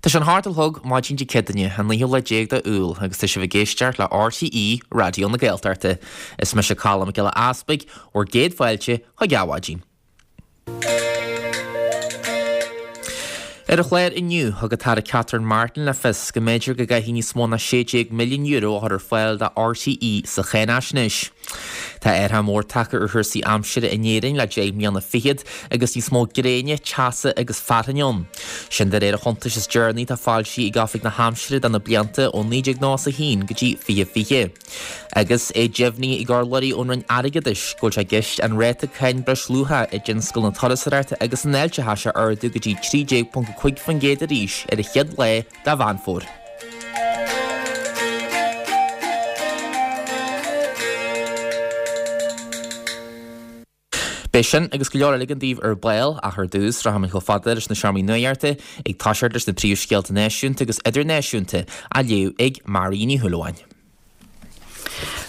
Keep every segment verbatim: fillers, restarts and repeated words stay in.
Tá sé an hocht a chlog maidin Dé Céadaoine, an naoú lá déag de Iúil, agus tá sibh ag éisteacht le RTÉ Raidió na Gaeltachta. Is mise Colm Mac Giolla Easpaig, bhur gcéad fáilte chuig Adhmhaidin. Ar an chlár inniu, thug an tAire Catherine Martin le fios go mb'fhéidir go gcaithfidh níos mó ná sé déag milliún euro a chur ar fáil do RTÉ sa cháinaisnéis. Tá athrú mór tagtha ar chúrsaí aimsire in Éirinn le deich mbliana fichead agus níos mó gréine, teasa agus fearthainne ann. Sin de réir an chuntais is deireanaí atá foilsithe ag Oifig na hAimsire do na blianta ó naoi déag nócha a haon go dtí fiche fiche. Agus é deimhnithe ag urlabhraí ón Roinn Airgeadais go bhfuil sé i gceist an ráta cáin breisluacha i dtionscal na turasóireachta agus an fháilteachais a ardú go dtí trí déag ponc cúig faoin gcéad arís ar an chéad lá de Mheán Fómhair. Beidh sin agus go leor eile againn daoibh ar ball, ach ar dtús, rachaimid chomh fada leis na seomraí nuachta, ag toiseacht leis na príomhscéalta náisiúnta agus idirnáisiúnta á léamh ag Marie Ní Shúilleabháin.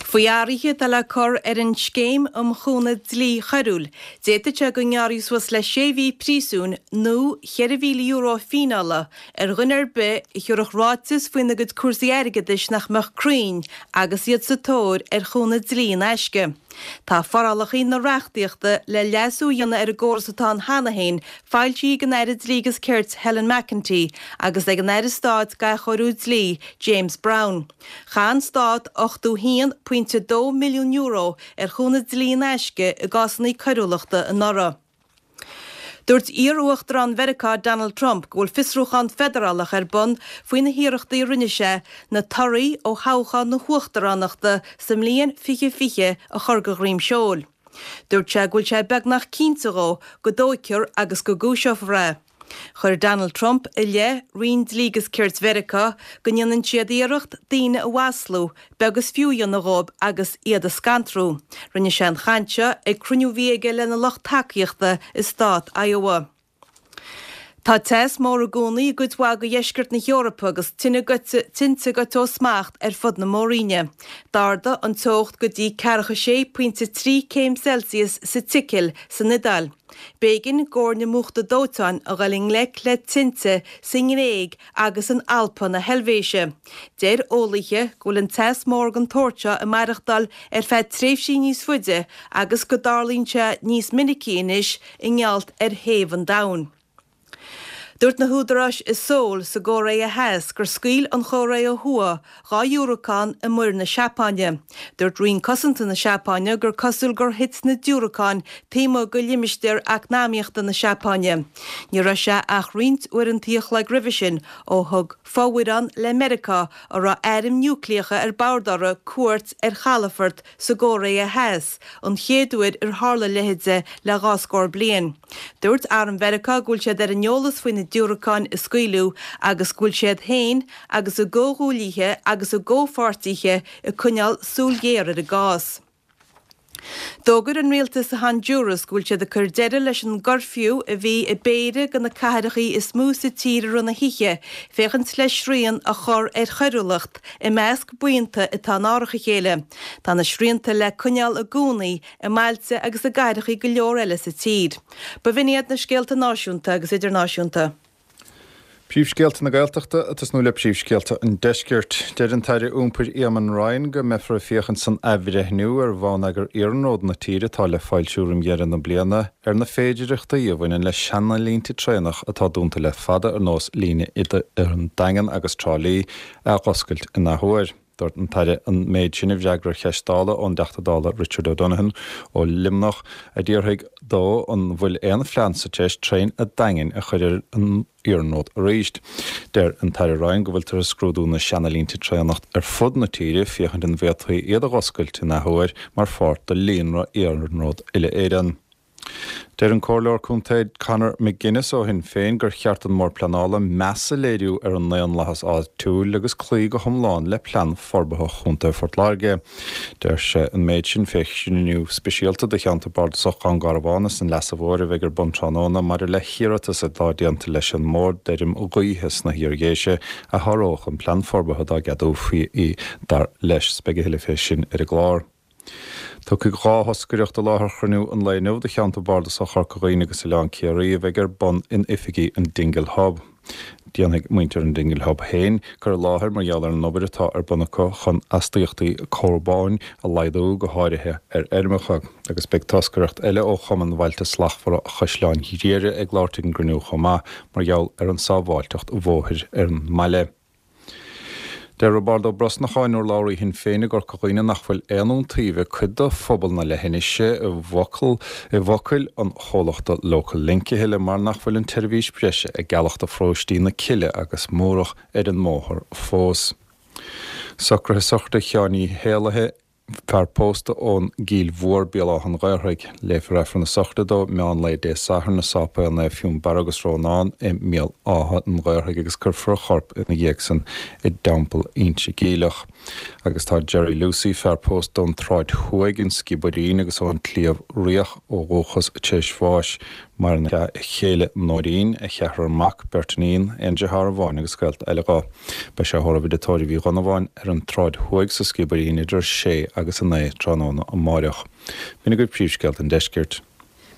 Faoi athruithe atá le cur ar an Scéim um Chúnamh Dlí Choiriúil, d'fhéadfadh sé go ngearrfaí suas le sé mhí príosúin nó cheithre mhíle euro fíneála ar dhuine ar bith a thabharfadh ráiteas faoina gcuid cúrsaí airgeadais nach mbeadh cruinn agus iad sa tóir ar chúnamh dlí in aisce. Tá forálacha na reachtaíochta le leasú a dhéanamh ar an gcóras atá ann cheana féin foilsithe ag an Aire Dlí agus Cirt Helen McEntee agus ag an Aire Stáit d'Athchóiriú Dlí James Browne. Chaith an Stát ochtó haon pointe dó milliún euro ar chúnamh dlí in aisce i gcásanna coiriúlachta anuraidh. Dúirt iar-uachtarán Mheiriceá Donald Trump go bhfuil fiosrúchán feidearálach ar bun faoi na hiarrachtaí a rinne sé na torthaí ó thoghchán na huachtaránachta sa mbliain fiche fiche a chur de dhroim seoil. Dúirt sé go bhfuil sé beagnach cinnte dhó go dtóigfear agus go gcúiseofar é. Chuir Donald Trump i leith Roinn Dlí agus Cirt Mheiriceá go ndéanann siad iarracht daoine a mhaslú, beag is fiú a dhéanamh dhóibh agus iad a scantrú. Rinne sé an chaint seo ag cruinniú a bhí aige lena lucht tacaíochta i stát Iowa. Tá teas mór i gcónaí i gcuid mhaith de dheisceart na hEorpa agus tinte goite ó smacht ar fud na mór-roinne. D'ardaigh an teocht go dtí ceathracha sé pointe trí céim Celsius sa tSicil san Iodáil. B'éigean d'fhoirne múchta dóiteáin a dhul i ngleic le tinte sa nGréig agus in Alpa na hEilvéise. Deir eolaithe go bhfuil an teas mór den tsórt seo ag maireachtáil ar feadh tréimhsí níos faide agus go dtarlaíonn sé níos minicí anois i ngeall ar théamh an domhain. Dúirt na húdaráis i Seoul sa gCóiré Theas gur scaoil an Chóiré Thuaidh dhá dhiúracán i Muir na Seapáine. Dúirt Roinn Cosanta na Seapáine gur cosúil gur thit na diúracáin taobh amuigh de limistéar eacnamaíochta na Seapáine. Ní raibh sé ach roinnt uaireanta a chloig roimhe sin ó thug fomhuireán le Meiriceá a raibh airm núicléacha ar bord orthu cuairt ar chalafort sa gCóiré Theas, an chéad uair ar tharla a leithéid le dhá scór bliain. Dúirt Arm Mheiriceá go bhfuil siad ar an eolas faoi na diúracáin a scaoileadh agus go bhfuil siad féin agus a gcomhghuaillithe agus a gcomhpháirtithe ag coinneáil súil ghéar ar an gcás. D'fhógair an rialtas i Hondúras go bhfuil siad ag cur deireadh leis an gcuirfiú a bhí i bpéire de na cathracha is mó sa tír i rith na hoíche féachaint le srian a chur ar choiriúlacht i measc buíonta atá in árach a chéile. Tá na srianta le coinneáil i gcónaí i mbailte agus i gcathracha go leor eile sa tír. B'in iad na scéalta náisiúnta agus idirnáisiúnta. Príomhscéalta na Gaeltachta ag tosnú le príomhscéalta an Deiscirt. Deir an tAire Iompair Eamon Ryan go mbeifear ag féachaint san athbhreithniú ar bhonneagar iarnróid na tíre atá le foilsiú roimh dheireadh na bliana ar na féidearthachtaí a bhaineann le seanalínte traenach atá dúnta le fada ar nós líne idir an Daingean agus Trá Lí a dh'oscailt in athuair. Dúirt an tAire an méid sin i bhfreagra ar cheist Dála ón dTeachta Dála Richard O'Donovan ó Luimneach a d'fhiafraigh dó an bhfuil aon phlean sa treis traein a' Daingin a chur ar an iarnród arís. Deir an tAire Ryan go bhfuiltear ag scrúdú na seanalínte traenach ar fud na tíre féachaint an bhféadfaí iad a dh'oscailt in athuair mar pháirt de líonra iarnród uile-Éireann. Deir an Comhairleoir Contae Conor McGuinness ó Shinn Féin gur cheart don mBord Pleanála meas a léiriú ar an ndaonlathas áitiúil agus cloí go hiomlán le plean forbartha Chontae Phort Láirge. Deir sé an méid sin fé chruinniú speisialta do cheantar bardasach Dhún Garbhán is an Leasa Mhóir a bheidh ar bun tráthnóna maidir le hiarratas atá déanta leis an mBord d'fheirm ghaoithe sna hIar-Dhéise a sháródh an plean forbartha dá gceadófaí í dar leis. Beidh a thuilleadh fé sin ar an gclár. Tiocfaidh dhá thoscaireacht i láthair chruinniú an lae inniu do cheantar bardasach Chorca Dhuibhne agus Oileán Ciarraí a bheidh ar bun in oifigí an Dingle Hub. Déanfaidh muintir an Dingle Hub féin cur i láthair mar gheall ar an obair atá ar bun acu chun astaíochtaí carbóin a laghdú, go háirithe ar fheirmeacha. Agus beidh toscaireacht eile ó Chumann Bhailte Slachtmhara Chaisleán Ghriaire ag labhairt ag an gcruinniú chomh maith mar gheall ar an sábháilteacht bhóthair ar an mbaile. Deir Roibeárd Ó Brosnacháin, urlabhraí Shinn Féin i gCorca Dhuibhne nach bhfuil aon iontaoibh ag cuid de phobal na leithinise i bhfocal i bhfocail an chomhlachta Local Link a thuilleadh mar nach bhfuil an tseirbhís breise ag gealladh do pharóistí na Cille agus Múrach ar an mbóthar fós. Socruithe sochraide Sheáin Uí Héalaithe fear pósta ón gCill Mhór, Béal Átha an Ghaorthaidh. Léifear Aifreann na sochraide dó meán lae Dé Sathairn i Sáipéal Naomh Fionnbarra agus Rónán i mBéal Átha an Ghaorthaidh agus cuirfear a chorp ina dhiaidh san i dTeampall Inse Geimhleach. Agus tá Jerry Lucey, fear pósta ón tSráid Thuaidh, an Sciobairín agus ón tSliabh Riach ó dhúchas tar éis bháis. Maireann a chéile Nóirín, a cheathrar mac, beirt iníon, aon deartháir amháin agus gaolta eile dhó. Beidh sé á thórramh i dTigh Tórraimh Uí Dhonnabháin ar an tSráid Thuaidh sa Sciobairín idir a sé agus a naoi tráthnóna amáireach. B'in agaibh príomhscéalta an deiscirt.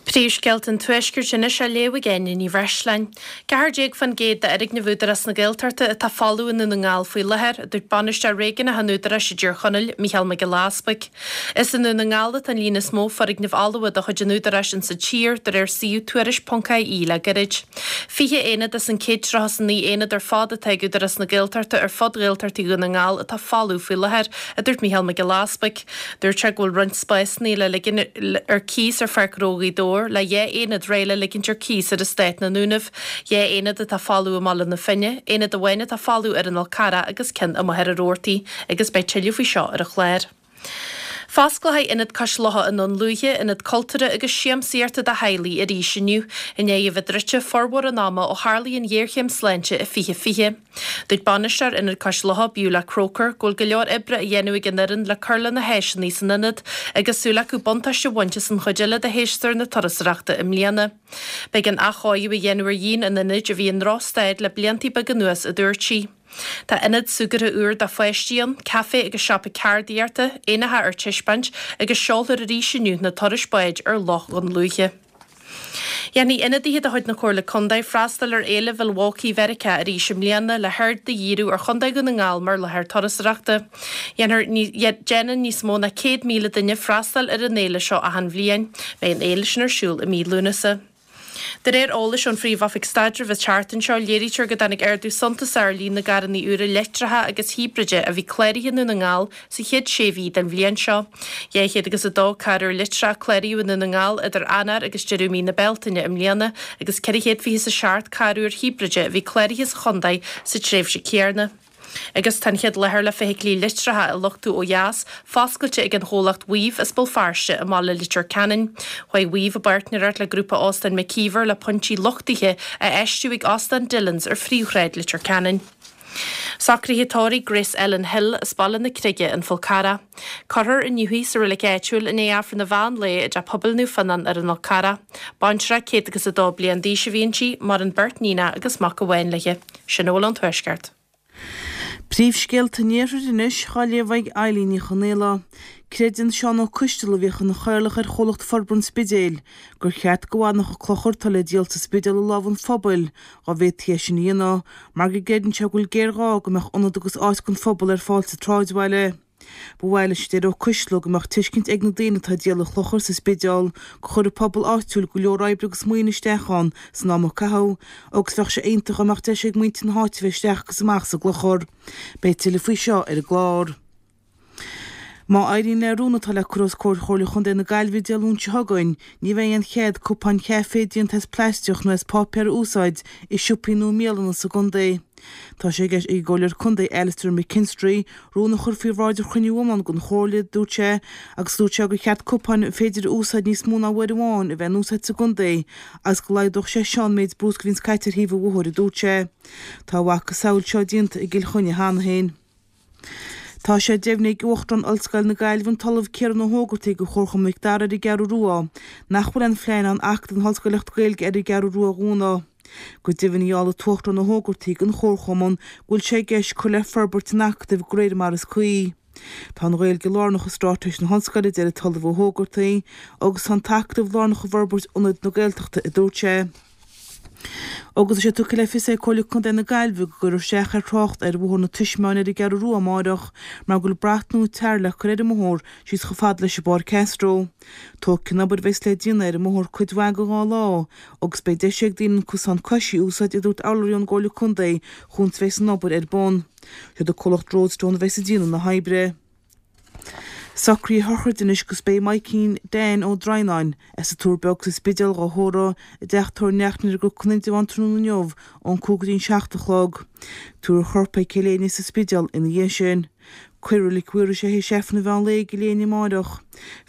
Príomhscéalta an Tuaiscirt anois á léamh ag Áine Ní Bhreisleáin. Ceathair déag faoin gcéad d'fhoirgnimh Údarás na Gaeltachta atá folamh i nDún na nGall faoi láthair, a dúirt Bainisteoir Réigiúnach an Údaráis i dTír Chonaill, Mícheál Mac Giolla Easpaig. Is i nDún na nGall atá an líon is mó foirgneamh fholmha de chuid an Údaráis insa tír, de réir suíomh Tuairisc ponc IE le gairid. Fiche aonad as an céad tríocha is a naoi aonad ar fad atá ag Údarás na Gaeltachta ar fud Ghaeltachtaí Dhún na nGall atá folamh faoi láthair, a dúirt Mícheál Mac Giolla Easpaig. Dúirt sé go bhfuil roinnt spásanna le ligean ar cíos ar Pháirc Ghnó Ghaoth Dobhair, le dhá aonad réidh le ligint ar cíos ar eastát na nDúnaibh, dhá aonad atá folamh i mBaile na Finne, aonad amháin atá folamh ar an Fhál Carrach agus ceann i Machaire Rabhartaigh agus beidh tuilleadh faoi seo ar an chlár. Fosclóidh Ionad Cois Locha i nDún Lúiche, ionad cultúrtha agus siamsaíochta do theaghlaigh arís inniu, i ndiaidh a bheith druidte formhór an ama ó tharlaigh an ghéarchéim sláinte i fiche fiche. Dúirt bainisteoir Ionad Cois Locha, Beulah Croker, go bhfuil go leor oibre á dhéanamh ag an fhoireann le cur le na háiseanna san ionad agus súil acu buntáiste a bhaint as an chuid eile de shéasúr na turasóireachta i mbliana. B'éigean athchóiriú a dhéanamh ar dhíon an ionaid a bhí i ndrochstaid le blianta beaga anuas, a dúirt sí. Tá ionad súgartha úr do pháistí ann, caife agus siopa ceardaíochta, éanacha ar taispeáint agus seolfar arís inniu na turais báid ar Loch Dhún Lúiche. Dhéanfaidh ionadaithe de chuid na Comhairle Contae freastal ar Fhéile Mhilwaukee Mheiriceá arís i mbliana le haird a dhíriú ar Chontae Dhún na nGall mar láthair turasóireachta. Déanann níos mó ná céad míle duine freastal ar an fhéile seo achan bhliain. Beidh an fhéile sin ar siúl i mí Lúnasa. De réir eolais ón Phríomh-Oifig Staidrimh an tseachtain seo, léirítear go dtáinig ardú suntasach ar líon na gcarranna úra leictreacha agus híbride a bhí cláraithe i nDún na nGall sa chéad sé mhí den bhliain seo. Dhá chéad agus a dó carr úr leictreach a cláraíodh i nDún na nGall idir Eanáir agus deireadh mí na Bealtaine i mbliana agus ceithre chéad fiche is a seacht carr úr híbride a bhí cláraithe sa chontae sa tréimhse chéanna. Agus tá an chéad láthair le feithiclí leictreacha a luchtú ó dheas foscailte ag an chomhlacht Weave as Béal Feirste i mbaile Leitir Ceanainn. Chuaigh Weave i bpáirtnéireacht le grúpa óstán McKeever le pointí luchtaithe a fheistiú ag Óstán Dillons ar phríomhshráid Leitir Ceanainn. Socruithe tórraimh Grace Ellen Hill as Baile na Creige, An Fál Carrach. Cuirfear inniu í sa reilig áitiúil i ndiaidh Aifreann an mheán lae i dTeach Pobail Naomh Fionnán ar an Fhál Carrach. Baintreach céad agus a dó bliain d'aois a bhí inti, maireann beirt níonacha agus mac amháin léi. Sin a bhfuil ón Tuaisceart. Príomhscéalta an Iarthair anois, á léamh ag Eilín Ní Chonaola. Creideann Seán Ó Coisteala, a bhíodh ina chathaoirleach ar chomhlacht forbartha an Spidéil, gur cheart go bhfanfadh an clochar atá le díol sa Spidéal i lámha an phobail, dá bhféadfaí é sin a dhéanamh, mar go gcreideann sé go bhfuil géarghá go mbeadh ionad agus áit don phobal ar fáil sa tsráidbhaile. Ba mhaith leis, a deir Ó Coisteala, go mbeadh tuiscint ag na daoine atá ag díol an chlochair sa Spidéal gur chuir an pobal áitiúil go leor oibre agus maoine isteach ann san am a caitheadh agus bheadh sé iontach dá mbeadh deis ag muintir na háite bheith isteach agus amach sa gclochar. Beidh tuilleadh faoi seo ar an gclár. Má éiríonn le rún atá le cur os comhair Chomhairle Chontae na Gaillimhe Dé Luain seo chugainn, ní bheidh aon chead cupáin chaife déanta as plaisteach nó as páipéar a úsáid i siopaí nó i mbialanna sa gcontae. Tá sé i gceist ag an gComhairleoir Contae Alastair McKinstry rún a chur faoi bhráid ar chruinniú iomlán den Chomhairle, dúirt sé, agus dúirt sé gur cheart cupáin ar féidir a úsáid níos mó ná uair amháin a bheith in úsáid sa gcontae agus go laghdódh sé seo an méid bruscair a bhíonns caite ar thaobh an bhóthair, a dúirt sé. Tá a mhacasamhail seo déanta i gCill Chainnigh cheana féin. Tá sé deimhnithe ag Uachtarán Ollscoil na Gaillimhe an tOllamh Ciarán Ó hÓgartaigh de Chomharchumann Mhic Dara ar an gCeathrú Rua nach bhfuil aon phlean ann Acadamh na hOllscoileachta Gaeilge ar an gCeathrú Rua a dhúnadh. Go deimhin gheall an tUachtarán Ó hÓgartaigh don Chomharchumann go bhfuil sé i gceist cur le forbairt an Acadaimh de réir mar is cuí. Tá an Ghaeilge lárnach i straitéis na hOllscoile, a deir an tOllamh Ó hÓgartaigh, agus tá an tAcadamh lárnach i bhforbairt Ionad na Gaeltachta, a dúirt sé. Agus tá sé tugtha le fios ag Comhairle Contae na Gaillimhe go gcuirfear isteach ar thrácht ar Bhóthar na Taismeáin ar an gCeathrú Rua amáireach mar go bhfuil brat nua tar le cur ar an mbóthar síos chomh fada leis an bPáirc Castro. Tógfaidh an obair a bheas le déanamh ar an mbóthar cuid mhaith de dhá lá agus beidh deis ag daoine an cosán coisí a úsáid a dúirt urlabhraí ón gComhairle Contae fad is a bheas an obair ar bun. Siad an comhlacht Roadstone a bheas ag déanamh na hoibre. Socruithe sochraide anois agus beidh Maidhcín Dan Ó Droighneáin as an Tuar Beag sa Spidéal dhá thórramh i dteach tórraimh Neachtain ar an gCnoc in Indreabhán tráthnóna inniu ón cúig go dtí an seacht a chlog. Tabharfar a chorp chuig Cill Éinne sa Spidéal ina dhiaidh sin. Cuirfear i Reilig Mhaorais é théis Aifreann an mheán lae i gCill Éinne amáireach.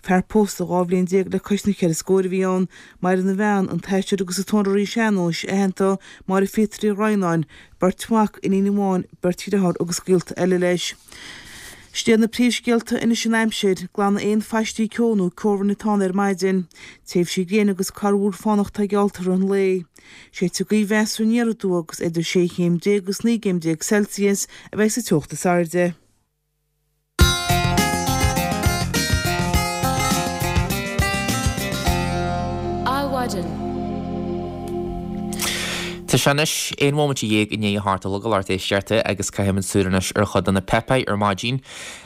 Fear pósta dhá bhliain déag le cois na ceithre scóir a bhí ann. Maireann a bhean, an t-aisteoir agus an t-amhránaí sean-nóis aitheanta Máire Phíotair Uí Dhroighneáin, beirt mhac, iníon amháin, beirt dhearthár agus gaolta eile leis. Sin iad na príomhscéalta anois an aimsir, glanfaidh aon phaistí ceo nó ceobhrain atá ann ar maidin. Tréimhsí gréine agus corrmhúr fánach atá geallta i rith an lae. Séidfidh gaoth mheasartha aniar aduaidh agus idir sé chéim déag agus naoi gcéim déag Celsius a bheidh sa teocht is airde. Adhmhaidin. Tá sé anois aon bhomaite dhéag i ndiaidh a hocht a chlog a lucht éisteachta agus caithfimid súil anois ar chuid de na páipéir ar maidin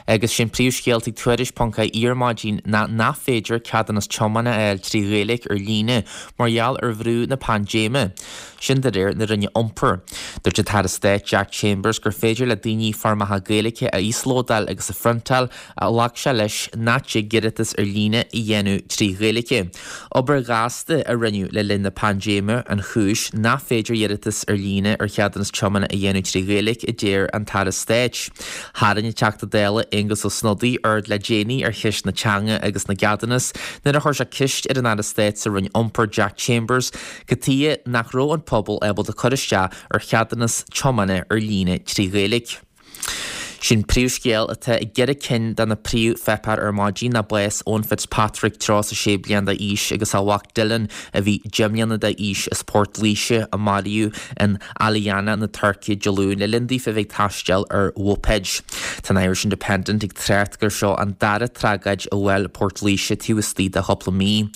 agus sé'n príomhscéal ag Tuairisc ponc ie ar maidin ná nach féidir ceadúnas tiomána a fháil trí Ghaeilge ar líne mar gheall ar bhrú na paindéime. Sin de réir na Roinne Iompair. Dúirt an tAire Stáit Jack Chambers gur féidir le daoine foirmeacha Gaeilge a íoslódáil agus a phriontáil ach ghlac sé leis nach dtig iarratas ar líne a dhéanamh trí Ghaeilge. Obair ghasta a rinneadh le linn na paindéime an chúis nach féidir iarratas ar líne ar cheadúnas tiomána a dhéanamh trí Ghaeilge, a deir an tAire Stáit. Tharraing an Teachta Dála Aengus Ó Snodaigh aird le déanaí ar cheist na teanga agus na gceadúnas nuair a chuir sé ceist ar an Aire Stáit sa Roinn Iompair Jack Chambers cad chuige nach raibh an pobal ábalta cur isteach ar cheadúnas tiomána ar líne trí Ghaeilge. Sé'n príomhscéal atá i gceithre cinn de na príomhpháipéir ar maidin ná bás Eoin Fitzpatrick tríocha a sé bliain d'aois agus a mhac Dylan a bhí deich mbliana d'aois as Port Laoise a maraíodh in Alanya na Tuirce Dé Luain le linn daofa a bheith ag taisteal ar mhóipeid. Tá an Irish Independent ag trácht gur seo an dara tragóid a bhuail Port Laoise taobh istigh de chúpla mí.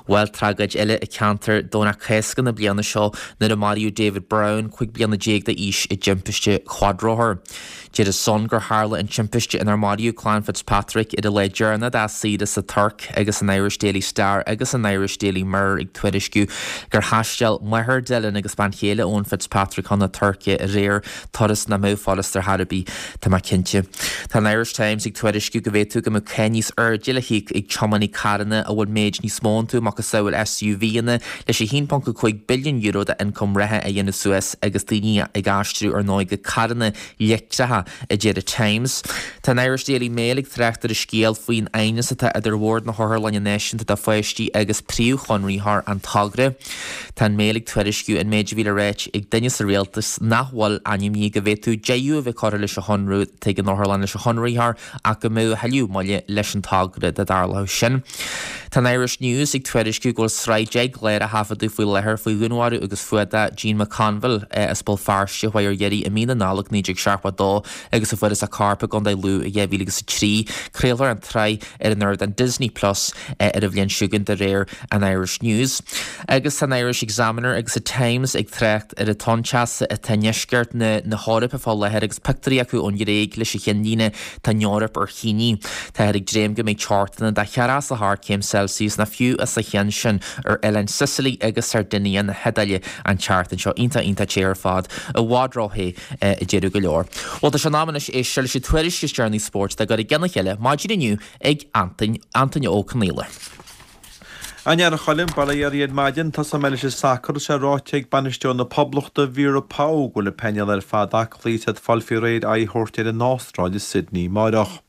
Bhuail tragóid eile an ceantar Domhnach Cásca na bliana seo nuair a maraíodh David Brown, cúig bliana déag d'aois i dtimpiste chuadrothair. Deir an Sun gur tharla an timpiste inar maraíodh clann Fitzpatrick ar an lá deireanach dá saoire sa Tuirc agus an Irish Daily Star agus an Irish Daily Mirror ag tuairisciú gur thaistil máthair Dylan agus bean chéile Eoin Fitzpatrick chun na Tuirce aréir, turas nach mbeadh furast ar chor ar bith, tá mé cinnte. Tá an Irish Times ag tuairisciú go bhféadfadh go mbeadh cáin níos airde le híoc ag tiománaí carranna a bhfuil méid níos mó iontu, macasamhail SUVanna, leis a haon ponc a cúig billiún euro d'ioncam reatha a dhéanamh suas agus daoine ag aistriú ar ndóigh go carranna leictreacha, a deir an Times. Tá an Irish Daily Mail ag trácht ar an scéal faoin aighneas atá idir Bhord na hOtharlainne Náisiúnta do Pháistí agus príomhchonraitheoir an togra. Tá an Mail ag tuairisciú an méid a bhí le ráit ag duine sa rialtas nach bhfuil ainmnithe go bhféadfadh deireadh a bheith curtha leis an chonradh atá ag an otharlann leis an chonraitheoir ach go mbeadh a thuilleadh moille leis an togra dá dtarlódh sin. Tá an Irish News ag tuairisciú go bhfuil sraith deich gclár á thaifeadadh faoi láthair faoi dhúnmharú agus fuadach Jean McConville as Béal Feirste a chuaigh ar iarraidh i mí na Nollag naoi déag seachtó a dó agus a fuarthas a corp i gContae Lú i dhá mhíle agus a trí. Craolfar an tsraith ar an ardán Disney Plus ar an bhliain seo chugainn de réir an Irish News. Agus tá an Irish Examiner agus an Times ag trácht ar an tonn teasa atá i ndeisceart na hEorpa fá láthair agus pictiúirí acu ón Ghréig leis an chinnlíne Tá an Eoraip ar thine. Táthar ag dréim go mbeidh teochtanna de cheathracha is a hocht céim Celsius nó fiú os a chionn sin ar oileáin Sicily agus Sardinia na hIodáile an tseachtain seo. Iontach, iontach te ar fad. I bhfad ró-the a déarfadh go leor. Bhuel, tá sé in am anois éisteacht leis an tuairisc is deireanaí spóirt dá gcur i gcionn a chéile maidin inniu ag Antain, Antaine Ó Conaola. A Choilm, bail ó Dhia oraibh ar maidin. Tosóidh mé leis an sacar. Tá sé ráite ag bainisteoir na Poblachta, Vera Pauw, go bhfuil an painéal ar fad aclaí is iad ag fáil faoi réir aghaidh a thabhairt ar an Astráil i Sydney amáireach.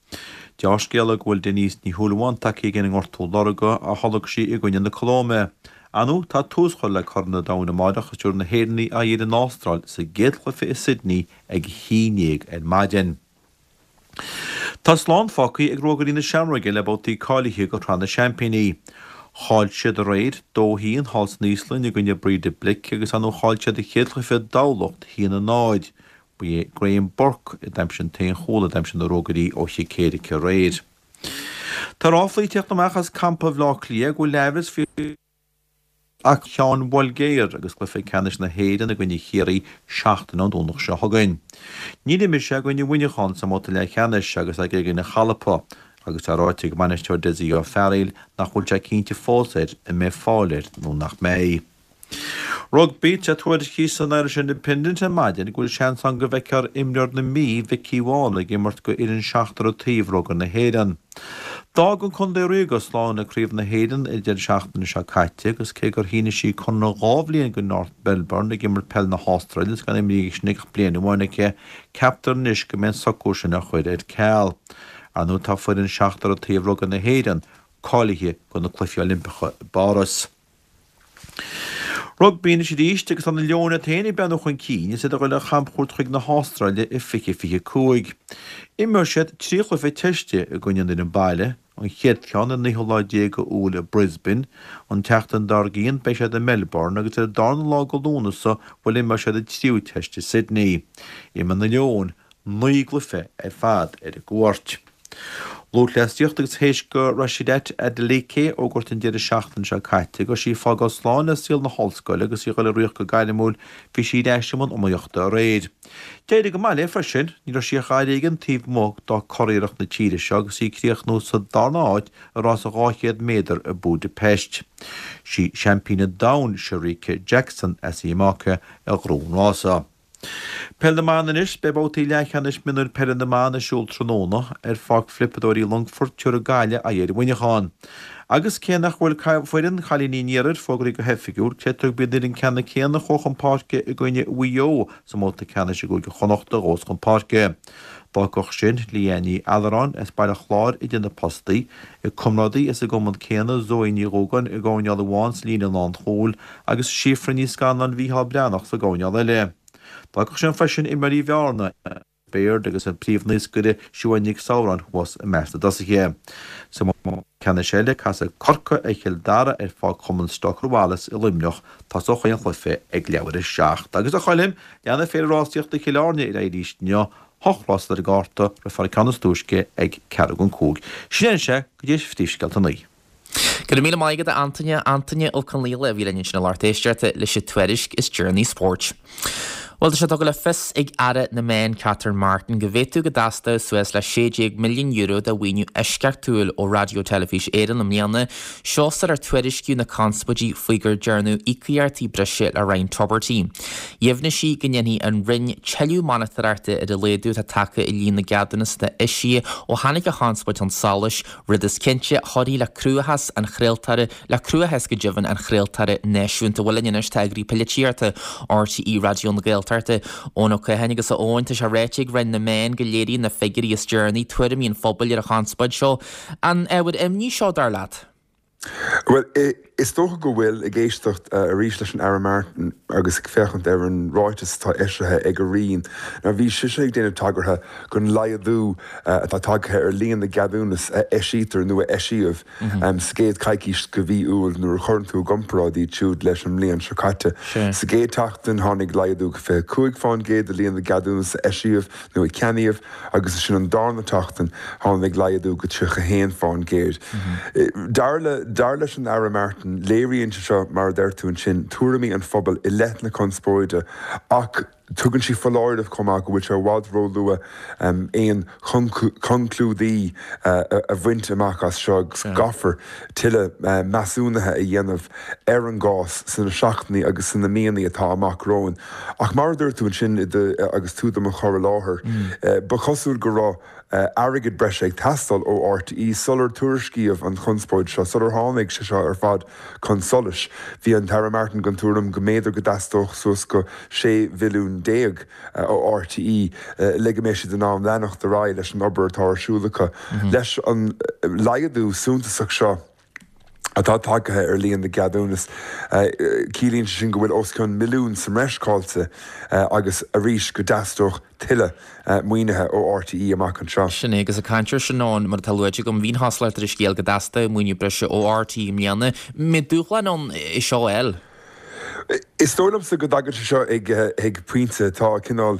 Deá-scéala go bhfuil Denise Ní Shúilleabháin tagtha chuig an ngortú lorga a tholg sí i gcoinne na Colóime. Ar ndóigh, tá tús curtha le Corn an Domhain amáireach is tabharfaidh na hÉireannaigh aghaidh ar an Astráil sa gcéad chluiche i Sydney ag a haon déag ar maidin. Tá slán fágtha ag Ruagairí na Seamróige le babhtaí cáilithe do Shraith na Seaimpíní. Chaill siad aréir, dó a haon, thall san Íoslainn i gcoinne Breidablik agus ar ndóigh chaill siad a chéad chluiche i dTamhlacht, a haon a náid. Ba é Graham Burke a d'aimsigh an t-aon chúl a d'aimsigh na Ruagairí ó chic éirice aréir. Tá ráflaí ag teacht amach as campa Bhaile Átha Cliath go bhfuil aimhreas faoi Ach Sheáin Bhoilgéir agus cluiche ceannais na hÉireann i gcoinne Chiarraí seachtain ón Domhnach seo chugainn. Níor imir sé i gcoinne Mhuineacháin sa mbabhta leathcheannais agus é i gcoinne chalpa agus tá ráite ag bainisteoir Dessie Ó Fearghaíl nach bhfuil sé cinnte fós air an mbeidh fáil air nó nach mbeidh. Rugbaí, Tá tuairiscithe san Irish Independent ar maidin go bhfuil seans ann go bhfeicfear imreoir na Mí, Vikki Wall, ag imirt go fhoireann seachtar an taobh rugbaí na hÉireann. D'fhág an contae ríoga slán le Craobh na hÉireann an deireadh seachtaine seo caite agus cé gur shínigh sí conradh dhá bhliain go North Melbourne ag imirt peil na hAstráile agus gan imrithe aici ach bliain amháin aici, ceaptar anois go mbeidh an socrú sin á chur ar ceal. Ar ndóigh tá foireann seachtar an taobh rugbaí na hÉireann cáilithe do na Cluichí Oilimpeacha i bPáras. Rugbaí anois arís agus tá na Leoin iad féin ag breathnú chun cinn is iad ag dul ar chamchuairt chuig na hAstráile i fiche fiche cúig. Imreoidh siad trí chluiche teiste i gcoinne an fhoireann baile, an chéad cheann ar naoú lá déag de Iúil i Brisbane, an tseachtain dár gcionn beidh siad i Melbourne agus ar an darna lá de Lúnasa bhuel imreoidh siad an tríú teist i Sydney. Imreoidh na Leoin naoi gcluiche ar fad ar an gcuairt. Lúthchleasaíocht agus théis do Rhasidat Adeleke fhógairt an deireadh seachtaine seo caite go raibh sí ag fágáil slán le saol na hollscoile agus í ag dul ag rith go gairmiúil, bhí sí ar ais i mbun iomaíochta aréir. D'éirigh go maith léi freisin, ní raibh sí ach gadhar éigin taobh amuigh dá curiarracht na tíre seo agus í ag críochnú sa darna háit i rás dhá chéad méadar i Budapest. Sí seaimpín an domhain Shericka Jackson as Iamáice a ghnóthaigh an rása. Peil na mBan anois, Beidh babhtaí leathcheannais mionúir peile na mban ar siúl tráthnóna ar Pháirc Phliopadóirí Longfoirt, tabharfaidh Gaillimh aghaidh ar Mhuineachán. Agus cé nach bhfuil foireann chailíní an Iarthair fógraithe go hoifigiúil, creidtear gurb í an fhoireann ceannann céanna a chuaigh chun páirce i gcoinne Mhaigh Eo sa mbabhta ceannais i gCúige Chonnacht a ghabhfas chun páirce. D'fhágfadh sin Leanne Ní Alluráin as Baile Chláir idir na postaí, a comrádaí as an gcumann céanna, Zoe Ní Dhúgáin i gcoirnéal amháin sa líne lánchúil agus Síofra Ní Scanláin Mhícheál Breathnach sa gcoirnéal eile. D'fhágfadh sin freisin imreoirí Bhearna, Baird agus an príomh-naoscaire Siobhán Nic Samhráin thuas i measc na dtosaithe. Sa mbabhta ceannais eile, casfaidh Corcaigh ar Chill Dara ar Pháirc Chumann Stoker Wallace i Luimneach. Tosóidh an cluiche ag leathuair a seacht. Agus a Choilm, leanfaidh Féile Rásaíochta Chill Airne ar aghaidh arís inniu, hocht rás ar an gcárta, rithfear an ceann is túisce ag ceathrú don cúig. Sin é anseo go dtí phríomhscéalta a naoi. Go raibh míle maith agat a Antaine, Antaine Ó Conghaile a bhí linn ansin a lucht éisteachta leis an tuairisc is deireanaí spóirt. Bhuel, tá sé tugtha le fios ag Aire na Meán Catherine Martin go bhféadfadh go dteastódh suas le sé déag milliún euro de mhaoiniú eisceachtúil ó Raidió Teilifís Éireann i mbliana, seo sular tuairiscíodh na conspóidí faoi gur dearnadh íocaíochtaí breise le Ryan Tubridy. Dheimhnigh sí go ndéanfaidh an Roinn tuilleadh monatóireachta ar an laghdú atá tagtha i líon na gceadúnas atá eisithe ó tháinig an chonspóid chun solais, rud is cinnte a chuirfidh le cruachás an chraoltóra, le cruachás go deimhin an chraoltóra náisiúnta. Bhuel linn anois tá Eagraí Polaitíochta RTÉ Raidió na Gaeltachta, Eoin Ó Catháin agus a Eoin, tá sé ráite ag Roinn na Meán go léiríonn na figiúirí is deireanaí tuairimí an phobail ar an chonspóid seo. An ábhar imní seo, dar leat? Bhuel, is dócha go bhfuil, ag éisteacht arís leis an Aire Martin agus ag féachaint ar an ráiteas atá eisithe ag a Roinn. Now bhí sise ag déanamh tagartha don laghdú atá tagtha ar líon na gceadúnas a eisítear nó a eisíodh sa gcéad choicís de mhí Iúil nuair a chuireann tú i gcomparáid iad siúd leis an mbliain seo caite. Sa gcéad tseachtain tháinig laghdú go fiche cúig fán gcéad i líon na gceadúnas a eisíodh nó a ceannaíodh agus ansin an darna tseachtain tháinig laghdú go tríocha haon fán gcéad. Dar le Dar leis an Aire Martin, léiríonn sé seo, mar a deir tú ansin, tuairimí an phobail i leith na conspóide ach tugann sí foláireamh chomh maith go bhfuil sé i bhfad róluath aon chonclúidí a bhaint amach as seo agus caithfear tuilleadh measúnaithe a dhéanamh ar an gcás sna seachtainí agus sna míonna atá amach romhainn. Ach mar a dúirt tú ansin agus tú do mo chur i láthair, ba chosúil go raibh airgead breise ag teastáil ó RTÉ sular tuairiscíodh an chonspóid seo, sular tháinig sé seo ar fad chun solais. Bhí an tAire Martin den tuairim go mb'fhéidir go dteastódh suas go sé mhilliún déag ó RTÉ le go mbeidh siad in ann leanacht ar aghaidh leis an obair atá ar siúl acu. Leis an laghdú suntasach seo atá tagtha ar líon na gceadúnas, ciallaíonn sé sin go bhfuil os cionn milliún sa mbreis caillte agus arís go dteastódh tuilleadh maoinithe ó RTÉ amach anseo. Sin é, agus ag caint air sin, mar atá luaite agam, bhí an chosúlacht ar an scéal go dteastódh maoiniú breise ó RTÉ i mbliana. An mbeidh dúshlán ann é seo a fháil? Is dóigh liomsa go dtagann sé seo ag ag pointe atá cineál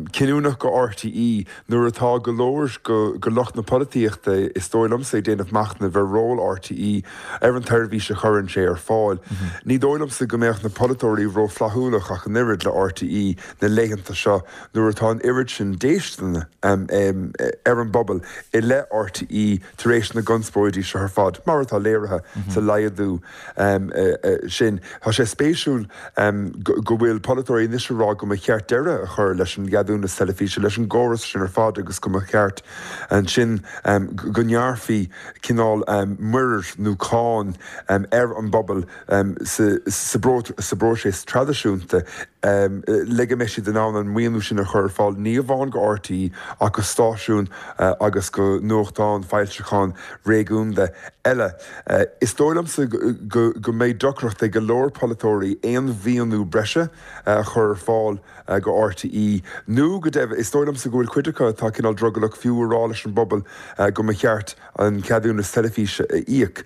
cinniúnach go RTÉ nuair atá go leor go go lucht na polaitíochta is dóigh liomsa ag déanamh machnaimh ar ról RTÉ ar an tseirbhís a chuireann sé ar fáil. Ní dóigh liomsa go mbeadh na polaiteoirí rófhlaithiúlach ach an oiread le RTÉ na laethanta seo nuair atá an oiread sin déistine ar an bpobal i leith RTÉ tar éis na gconspóidí seo ar fad, mar atá léirithe sa laghdú sin. Tá sé spéisiúil go bhfuil polaiteoirí anois ag rá go mba cheart deireadh a chur leis an gceadúnas teilifíse, leis an gcóras sin ar fad agus go mba cheart ansin go ngearrfaí cineál muirear nó cáin ar an bpobal sa bpróiseas traidisiúnta le go mbeidh siad in ann an maoiniú sin a chur ar fáil ní amháin go RTÉ ach go stáisiúin agus go nuachtáin, foilseacháin réigiúnda eile. Is dóigh liomsa go mbeidh deacracht ag go leor polaiteoirí aon mhaoiniú breise a chur ar fáil go RTÉ nó go deimhin is dóigh liomsa go bhfuil cuid acu atá cineál drogallach fiú a rá leis an bpobal go mba cheart an ceadúnas teilifíse a íoc.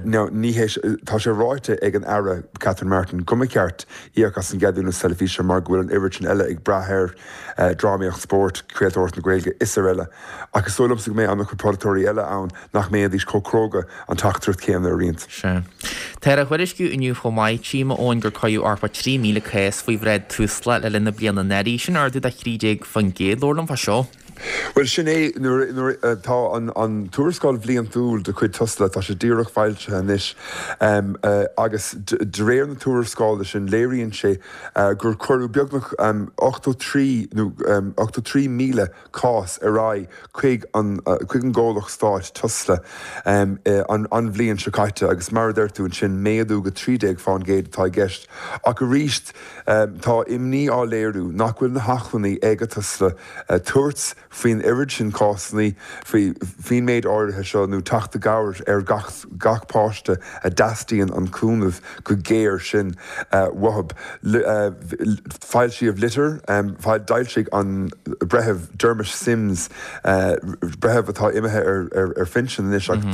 Now ní hé tá sé ráite ag an Aire Catherine Martin go mba cheart íoc as an gceadúnas teilifíse mar go bhfuil an oiread sin eile ag brath air, drámaíocht, spórt, craoltóireacht na Gaeilge is araile. Ach is dóigh liomsa go mbeidh an-chuid polaiteoirí eile ann nach mbeidís chomh cróga an teachtaireacht chéanna a roinnt. Sea. Tá á thuairisciú inniu chomh maith, tchím, a Eoin, gur cuireadh thart fá trí mhíle cás faoi bhráid Tusla le linn na bliana anuraidh. Sin ardú de thrí déag faoin gcéad. Labhair liom fá seo. Bhuel, sin é, nuair, nuair tá an, an tuarascáil bhliantúil de chuid Tusla, tá sé díreach foilsithe anois, agus de réir na tuarascála sin, léiríonn sé gur cuireadh beagnach ochtó trí nó ochtó trí míle cás ar aghaidh chuig an, chuig an gcomhlacht stáit Tusla an, an bhliain seo caite agus mar a deir tú ansin, méadú go trí déag fán gcéad atá i gceist. Ach arís, tá imní á léiriú nach bhfuil na hacmhainní ag Tusla tabhairt faoin oiread sin cásanna, faoin méid áirithe seo nó teacht i gcabhair ar gach gach páiste a dteastaíonn an cúnamh go géar sin uathu. Foilsíodh litir, d'fhoilsigh an Breitheamh Dermot Simms, breitheamh atá imithe ar phinsean anois ach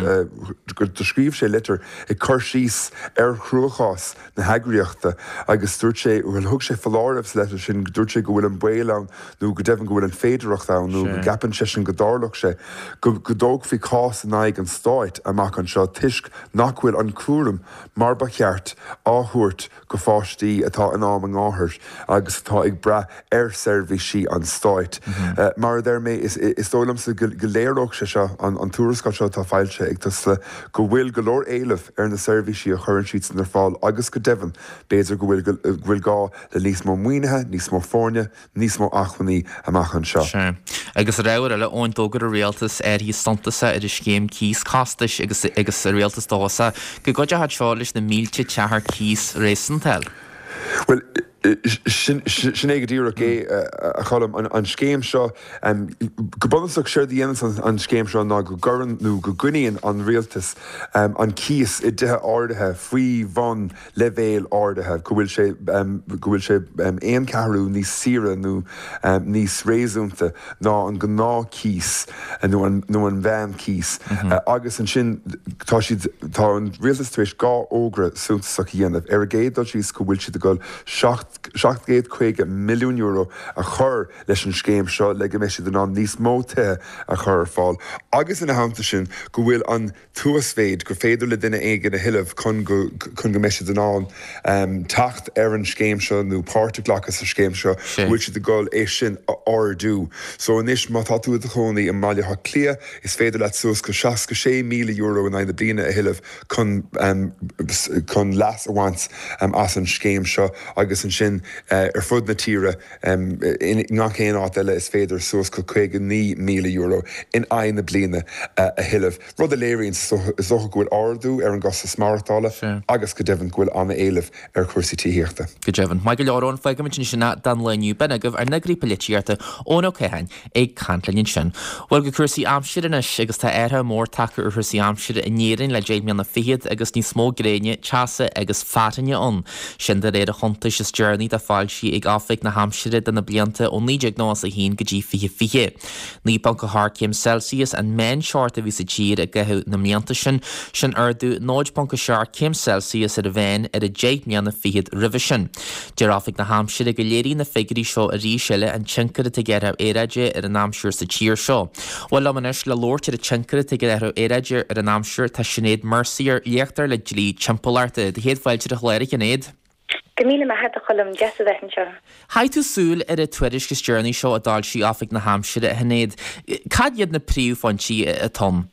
do scríobh sé litir ag cur síos ar chruachás na heagraíochta agus dúirt sé, bhuel thug sé foláireamh sa litir sin, dúirt sé go bhfuil an baol ann nó go deimhin go bhfuil an féidearthacht ann nó go gceapann seisean go dtarlódh sé go dtógfaí cás in aghaidh an stáit amach anseo toisc nach bhfuil an cúram mar ba cheart á thabhairt go pháistí atá in am a ngáthar agus atá ag brath ar seirbhísí an stáit. Mar a deir mé, is dóigh liomsa go léireodh sé seo, an tuarascáil seo atá foilsithe ag Tusla, go bhfuil go leor éileamh ar na seirbhísí a chuireann siadsan ar fáil agus go deimhin, b'fhéidir go bhfuil go bhfuil gá le níos mó maoinithe, níos mó foirne, níos mó acmhainní amach anseo. Sea. Agus ar ábhar eile, Eoin, d'fhógair an Rialtas athruithe suntasacha ar an scéim cíos costais agus agus an Rialtas dóchasach go gcuideoidh seo leis na mílte teach ar cíos réasúnta a fháil. Bhuel, sin é go díreach é, a Choilm. An scéim seo, go bunúsach, séard a dhéananns an scéim seo ná go gcuireann nó go gcoinníonn an rialtas an cíos i dtithe áirithe faoi bhun leibhéil áirithe, go bhfuil sé, go bhfuil sé aon cheathrú níos saoire nó níos réasúnta ná an gnáthchíos nó an, nó an meánchíos. Agus ansin tá siad, tá an rialtas tar éis dhá fhógra suntasach a dhéanamh. Ar an gcéad dul síos go bhfuil siad ag dul seacht, seacht gcéad caoga milliún euro a chur leis an scéim seo le go mbeidh siad in ann níos mó tithe a chur ar fáil agus ina theannta sin go bhfuil an t-uasmhéid gur féidir le duine éigin a thuilleamh chun go chun go mbeidh siad in ann teacht ar an scéim seo nó páirt a ghlacadh sa scéim seo, go bhfuil siad ag dul é sin a ardú. So anois má tá tú i do chónaí i mBaile Átha Cliath is féidir leat suas go seasca sé míle euro in aghaidh na bliana a thuilleamh chun chun leas a bhaint as an scéim seo agus ansin ar fud na tíre i ngach aon áit eile is féidir suas go caoga naoi míle euro in aghaidh na bliana a thuilleamh, rud a léiríonn is dócha go bhfuil ardú ar an gcostas maireachtála agus go deimhin go bhfuil an-éileamh ar chúrsaí tithíochta. Go deimhin. Maith go leor, Eoin, fágfaimid ansin é don lá inniu. B'in agaibh ár n-eagraí polaitíochta, Eoin Ó Catháin, ag caint linn ansin. Bhuel, go cúrsaí aimsire anois agus tá athrú mór tagtha ar chúrsaí aimsire in Éirinn le deich mbliana fichead agus níos mó gréine, teasa agus fearthainne ann. Sin de réir an chuntais is deireanaí. deireanaí atá foilsithe ag Oifig na hAimsire do na blianta ó naoi déag nócha a haon go dtí fiche fiche. naoi ponc a hocht céim Celsius an meánteocht a bhí sa tír i gcaitheamh na mblianta sin, sin ardú náid ponc a seacht céim Celsius ar a mheán ar an deich mbliana fichead roimhe sin. Deir Oifig na hAimsire go léiríonn na figiúirí seo arís eile an tionchar atá ag athrú aeráide ar an aimsir sa tír seo. Bhuel liom anois le labhairt ar an tionchar atá ag athrú aeráide ar an aimsir tá Sinéad Mercier, léachtóir le dlí timpeallachta. Do chéad fáilte ar an chlár, a Shinéad. Go míle maith agat a Choilm, deas a bheith anseo. Chaith tú súil ar an tuairisc is deireanaí seo a d'fhoilsigh Oifig na hAimsire, a Shinéad. Cad iad na príomhphointí atá ann?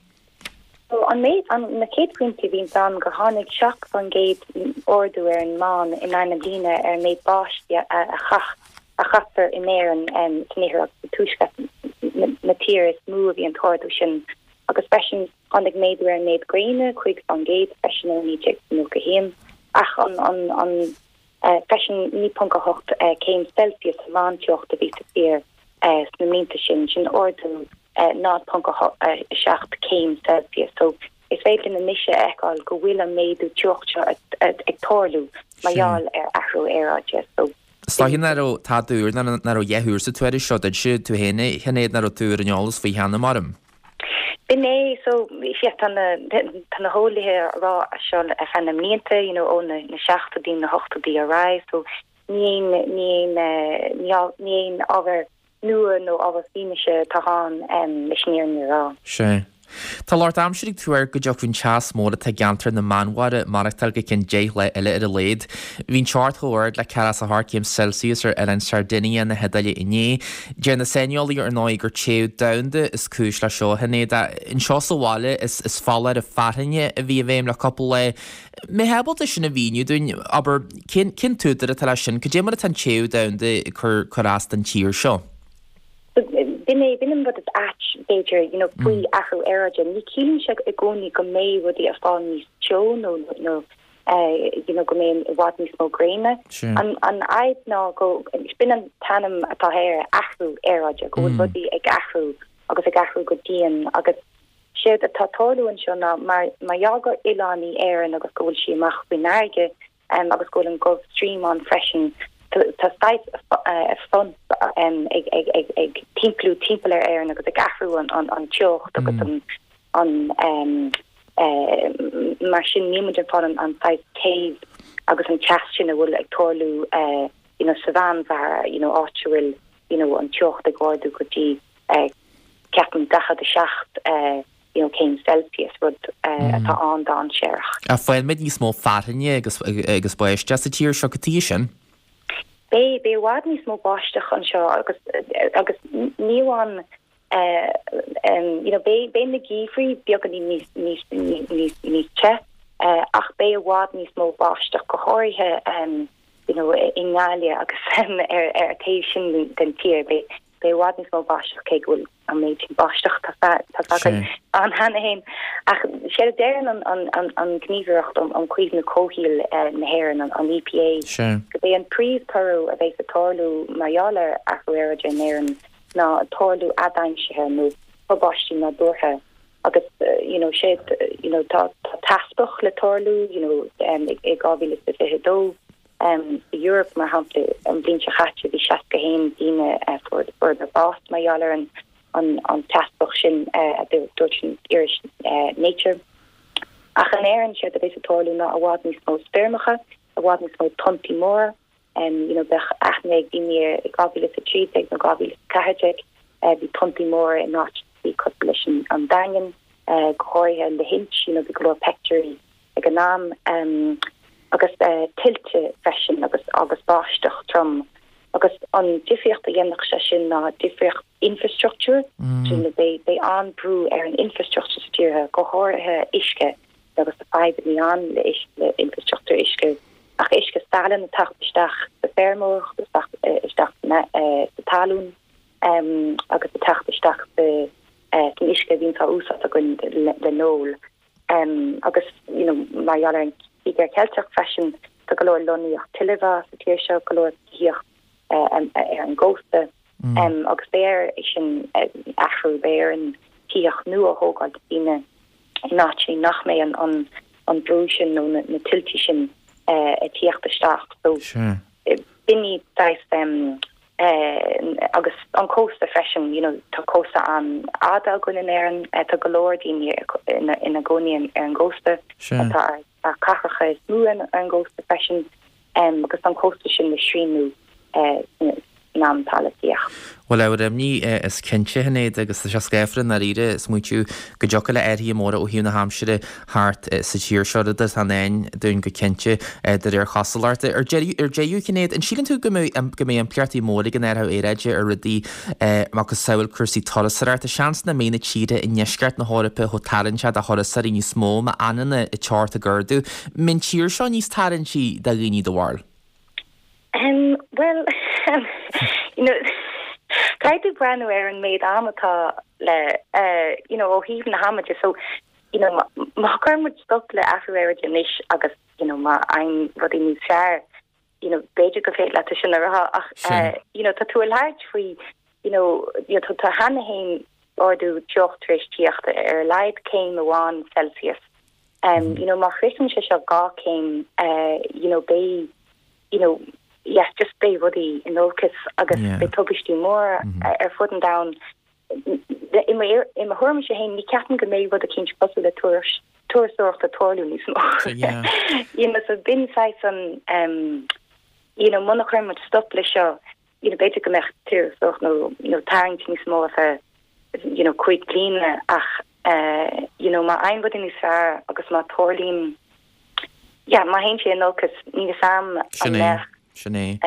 An méid an na chéad phointe a bhí ann gur tháinig seacht faoin gcéad ardú ar an meán in aghaidh na bliana ar an méid báistí a chaith a chaitear in Éirinn san iarthar agus sa tuaisceart na tíre is mó a bhí an t-ardú sin agus freisin tháinig méadú ar an méid gréine cúig faoin gcéad freisin ó naoi déag nócha haon ach an an an freisin naoi ponc a hocht céim Celsius an meánteocht a bhí sa tír sna blianta sin sin ardú náid ponc a seacht céim Celsius so is féidir linn anois a fheiceáil go bhfuil an méadú teocht seo ag tarlú mar gheall ar athrú aeráide so Is dóiche nach raibh tada úr nach raibh a dhath úr sa tuairisc seo duitse tú féin a Shinéad nach raibh tú ar an eolas faoi cheana mar. B'in é so yeah, tá na tá na heolaithe ag rá seo ar feadh na mblianta you know, ó na na seachtóidí na hochtóidí ar aghaidh so ní aon ní aon ní ní aon ábhar nua nó ábhar fianaise atá ann um, leis an fhírinne a rá. Sé. Tá lucht aimsire ag tuar go dtiocfaidh an teas mór atá i gceantar na Meánmhara maireachtáil go ceann deich lá eile ar a laghad. Bhí an teocht chomh hard le ceathracha is a hocht céim Celsius ar oileán Sardinia na hIodáile inné. Deir na saineolaithe ar ndóigh gur téamh domhanda is cúis le seo a Shinéad. Anseo sa bhaile is is foláireamh fearthainne a bhí i bhfeidhm le cúpla lá. Mbeifeá ábalta sin a mhíniú dúinn abair cén cén t-údar atá leis sin, cad é mar atá an téamh domhanda ag cur cur as don tír seo. B'in é b'in an rud is ait b'fhéidir you know, faoi athrú aeráide. Ní chiallaíonn sé i gcónaí go mbeidh rudaí ag fáil níos teo nó nó uh, you know, go mbeidh i bhfad níos mó gréine. An an fhadhb ná go b'in an t-ainm atá air athrú aeráide, go bhfuil rudaí ag athrú agus ag athrú go dian agus séard atá ag tarlú anseo ná mar mar gheall gur oileán í Éirinn agus go bhfuil sí amach faoin bhfarraige um, agus go bhfuil an Gulf Stream ann freisin tá saghas front um, ag ag ag ag timpeallú timpeall ar Éirinn agus ag athrú an an an teocht agus an an um, uh, mar sin níl muid ag fáil an an saghas téamh agus an teas sin a bhfuil ag tarlú uh, you know, sa Mheánmhara you know, áit a bhfuil you know, an teocht ag ardú go dtí uh, ceapaim daichead a seacht uh, you know, céim Celsius rud uh, atá an-dainséarach. A faighimid níos mó fearthainne agus agus báisteach sa tír seo go dtí sin? Beidh beidh i bhfad níos mó báisteach anseo agus agus ní amháin uh, um, you know, beidh beidh na geimhrí beagáinín níos níos níos níos te uh, ach beidh i bhfad níos mó báisteach go háirithe um, you know, i nGaillimh agus um, ar ar taobh sin den tír beidh beidh i bhfad níos mó báisteach cé go bhfuil an méid sin báisteach tá tá ann cheana féin ach sé a deireann an an an an gníomhaireacht um um caomhnú comhshaoil uh, na hÉireann an, an EPA go b'é an príomhthoradh a bheidh ag tarlú mar gheall ar athrú aeráide in Éirinn ná tarlú adhaimsithe nó tubaistí nádúrtha agus uh, you know sé you know tá tá teaspach le tarlú you know um, ag ag dhá mhíle is fiche dó um Europe mar shampla an bhliain seo caite bhí seasca haon duine uh, fuair fuair bás mar gheall ar an an an teaspach sin uh, a dúirt an iris uh, Nature. Ach in Éirinn sé a bheidh ag tarlú ná i bhfad níos mó stoirmeacha, i bhfad níos mó tonntaí móra, um, you know, bheadh aithne ag daoine i dhá mhíle a trí déag nó dhá mhíle ceathair déag uh, bhí tonntaí móra in áit bhí cosúil leis an, an Daingean, uh, go háirithe Lahinch, you know, bhí go leor pictiúirí ag an am um, agus uh, tuilte freisin agus agus báisteach trom. Agus an difríocht a dhéanfadh sé sin ná difríocht infrastructure mm. sin beidh beidh an-bhrú ar an infrastructure sa tír go háirithe uisce agus tá fadhbanna ann le le infrastructure uisce ach uisce salainn ag teacht isteach sa feirmeoireacht isteach isteach sa talún um, agus ag teacht isteach sa san uisce a bhíonn á úsáid againn le, le n-ól um, agus you know, mar gheall ar an Cíogair Cheilteach freisin tá go leor lonnaíocht tuilemhá sa tír seo go leor tithíocht uh, um, ar an gcósta mm. um, agus beidh air sin uh, athrú beidh air an tithíocht nua a thógáil daoine in áit nach mbeidh an an an brú sin nó na, na tuilte sin uh, ag teacht isteach so sure. B'in iad saghas um, uh, agus an cósta freisin you know, tá cósta an-fhada againn in Éirinn uh, tá go leor daoine ina, ina gcónaí ar an gcósta tá ar cathracha is mó ar an gcósta freisin um, agus an cósta sin le srianadh uh, in am atá le tíocht. Bhuel ábhar imní is cinnte Shinéad agus tá sé scáfar i ndáiríre smaointiú go dtiocfadh le athruithe móra ó thaobh na haimsire thart sa tír seo rud atá i ndán dúinn go cinnte de réir chosúlachta. Ar deireadh Shinéad, an síleann tú go mbeidh go mbeidh impleachtaí mór ag an athrú aeráide ar rudaí macasamhail cúrsaí turasóireachta seans nach mbeidh na tíortha i ndeisceart na hEorpa chomh tarraingteach do thurasóirí níos mó má fhanann an teocht ag ardú. An mbeidh an tír seo níos tarraingtí do dhaoine do bharúil? Um, well, you know, caithfidh tú breathnú ar an méid am atá le uh, you know, ó thaobh na hama de so you know, má chuireann muid stop le athrú aeráide anois agus you know, má éiríonn rudaí níos fearr you know, b'fhéidir go féidir leat sin a rá ach uh, you know, tá tú ag labhairt faoi you know, you know, tá cheana féin ardú teocht tar éis tíocht ar a laghad céim amháin Celsius. Um, mm -hmm. you know, má shroicheann sé seo dhá céim uh, you know, beidh you know, yeah, just beidh rudaí in olcas agus yeah. beidh tubaistí mór mm -hmm. ar fud an domhain i mo thuairim féin ní ceapaim go mbeidh rud eicínt cosúil le turasóireacht ag tarlú níos mó. you know, so b'in an um, you know, muna chuireann muid stop le seo you know, b'fhéidir go mbeadh turasóireacht nó nó tarraingt níos mó a you know, cúig bliana ach uh, you know, má éiríonn rudaí níos fearr agus má tarlaíonn yeah, má théann sé in olcas ní sam an mbeadh Sin é.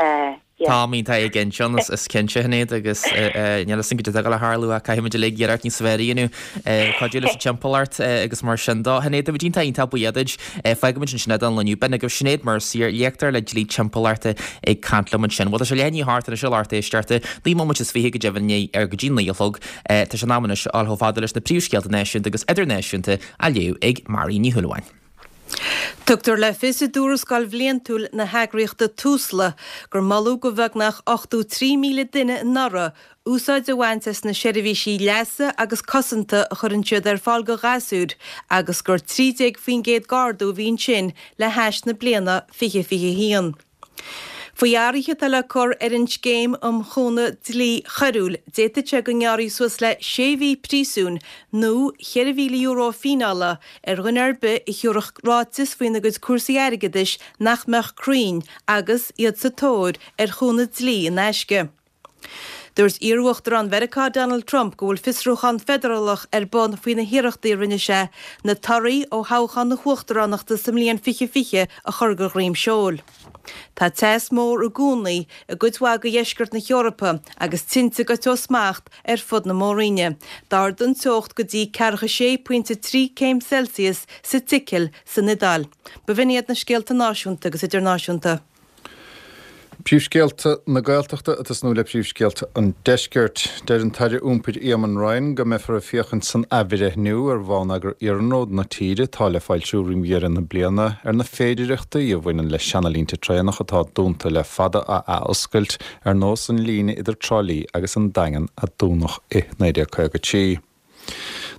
Tá mín tá ag sin is cinnte Shinéad agus níl sin go dtí le tharlú a caithfimid uilig iarracht níos fearr a dhéanamh cuidiú leis an timpeallacht agus mar sin de. Shinéad a bhíonn iontach buíoch duit fágfaimid ansin don lá inniu. B'in agaibh Sinéad Mercier léachtóir le dlí timpeallachta ag caint liom ansin. Bhuel tá sé leath i ndiaidh a hocht anois a lucht éisteachta, naoi mbomaite is fiche go deimhin ar go dtí naoi a chlog. Tá sé in am anois a dhul chomh fada leis na príomhscéalta náisiúnta agus idirnáisiúnta á léamh ag Marie Ní Shúilleabháin. Tugtar le fios i dtuarascáil bhliantúil na heagraíochta Tusla gur moladh do bheagnach ochtó trí míle duine anuraidh úsáid a bhaint as na seirbhísí leasa agus cosanta a chuireann siad ar fáil do ghasúir agus gur trí déag faoin gcéad d'ardú a bhí ansin le hais na bliana fiche fiche haon. Faoi athruithe atá le cur ar an scéim um chúnamh dlí choiriúil, d'fhéadfadh sé go ngearrfaí suas le sé mhí príosúin nó cheithre mhíle euro fíneála ar dhuine ar bith a thabharfadh ráiteas faoina gcuid cúrsaí airgeadais nach mbeadh cruinn agus iad sa tóir ar chúnamh dlí in aisce. Dúirt iar-uachtarán Mheiriceá Donald Trump go bhfuil fiosrúchán feidearálach ar bun faoi na hiarrachtaí a rinne sé na torthaí ó thoghchán na huachtaránachta sa mbliain fiche fiche a chur de dhroim seoil. Tá teas mór i gcónaí i gcuid mhaith de dheisceart na hEorpa agus tinte ag goil ó smacht ar fud na mór-roinne. D'ardaigh an teocht go dtí ceathracha sé pointe trí céim Celsius sa tSicil san Iodáil. B'in iad na scéalta náisiúnta agus idirnáisiúnta. Príomhscéalta na Gaeltachta ag tosnú le príomhscéalta an Deiscirt. Deir an tAire Iompair Eamon Ryan go mbeifear ag féachaint san athbhreithniú ar bhonneagar iarnróid na tíre atá le foilsiú roimh dheireadh na bliana ar na féidearthachtaí a bhaineann le seanalínte traenach atá dúnta le fada a athoscailt ar nós an líne idir Trá Lí agus an Daingean a dúnadh i naoi déag caoga trí.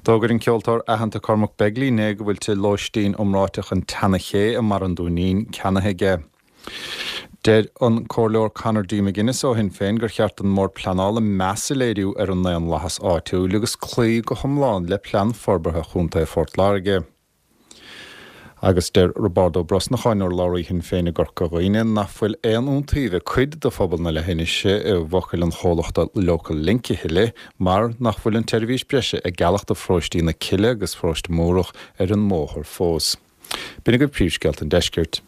D'fhógair an ceoltóir aitheanta Cormac Begley inné go bhfuil tigh lóistín iomráiteach an tSeana-Ché i mBarra an Dúinín ceannaithe aige. Deir an Comhairleoir Conor D. McGuinness ó Shinn Féin gur cheart don mBord Pleanála meas a léiriú ar an ndaonlathas áitiúil agus cloí go hiomlán le Plean Forbartha Chontae Phort Láirge. Agus deir Roibeárd Ó Brosnacháin, urlabhraí Shinn Féin i gCorca Dhuibhne, nach bhfuil aon iontaoibh ag cuid de phobal na leithinise i bhfocail an chomhlachta Local Link a thuilleadh mar nach bhfuil an tseirbhís breise ag gealladh do pharóistí na Cille agus Pharóiste Múrach ar an mbóthar fós. B'in agaibh príomhscéalta an deiscirt.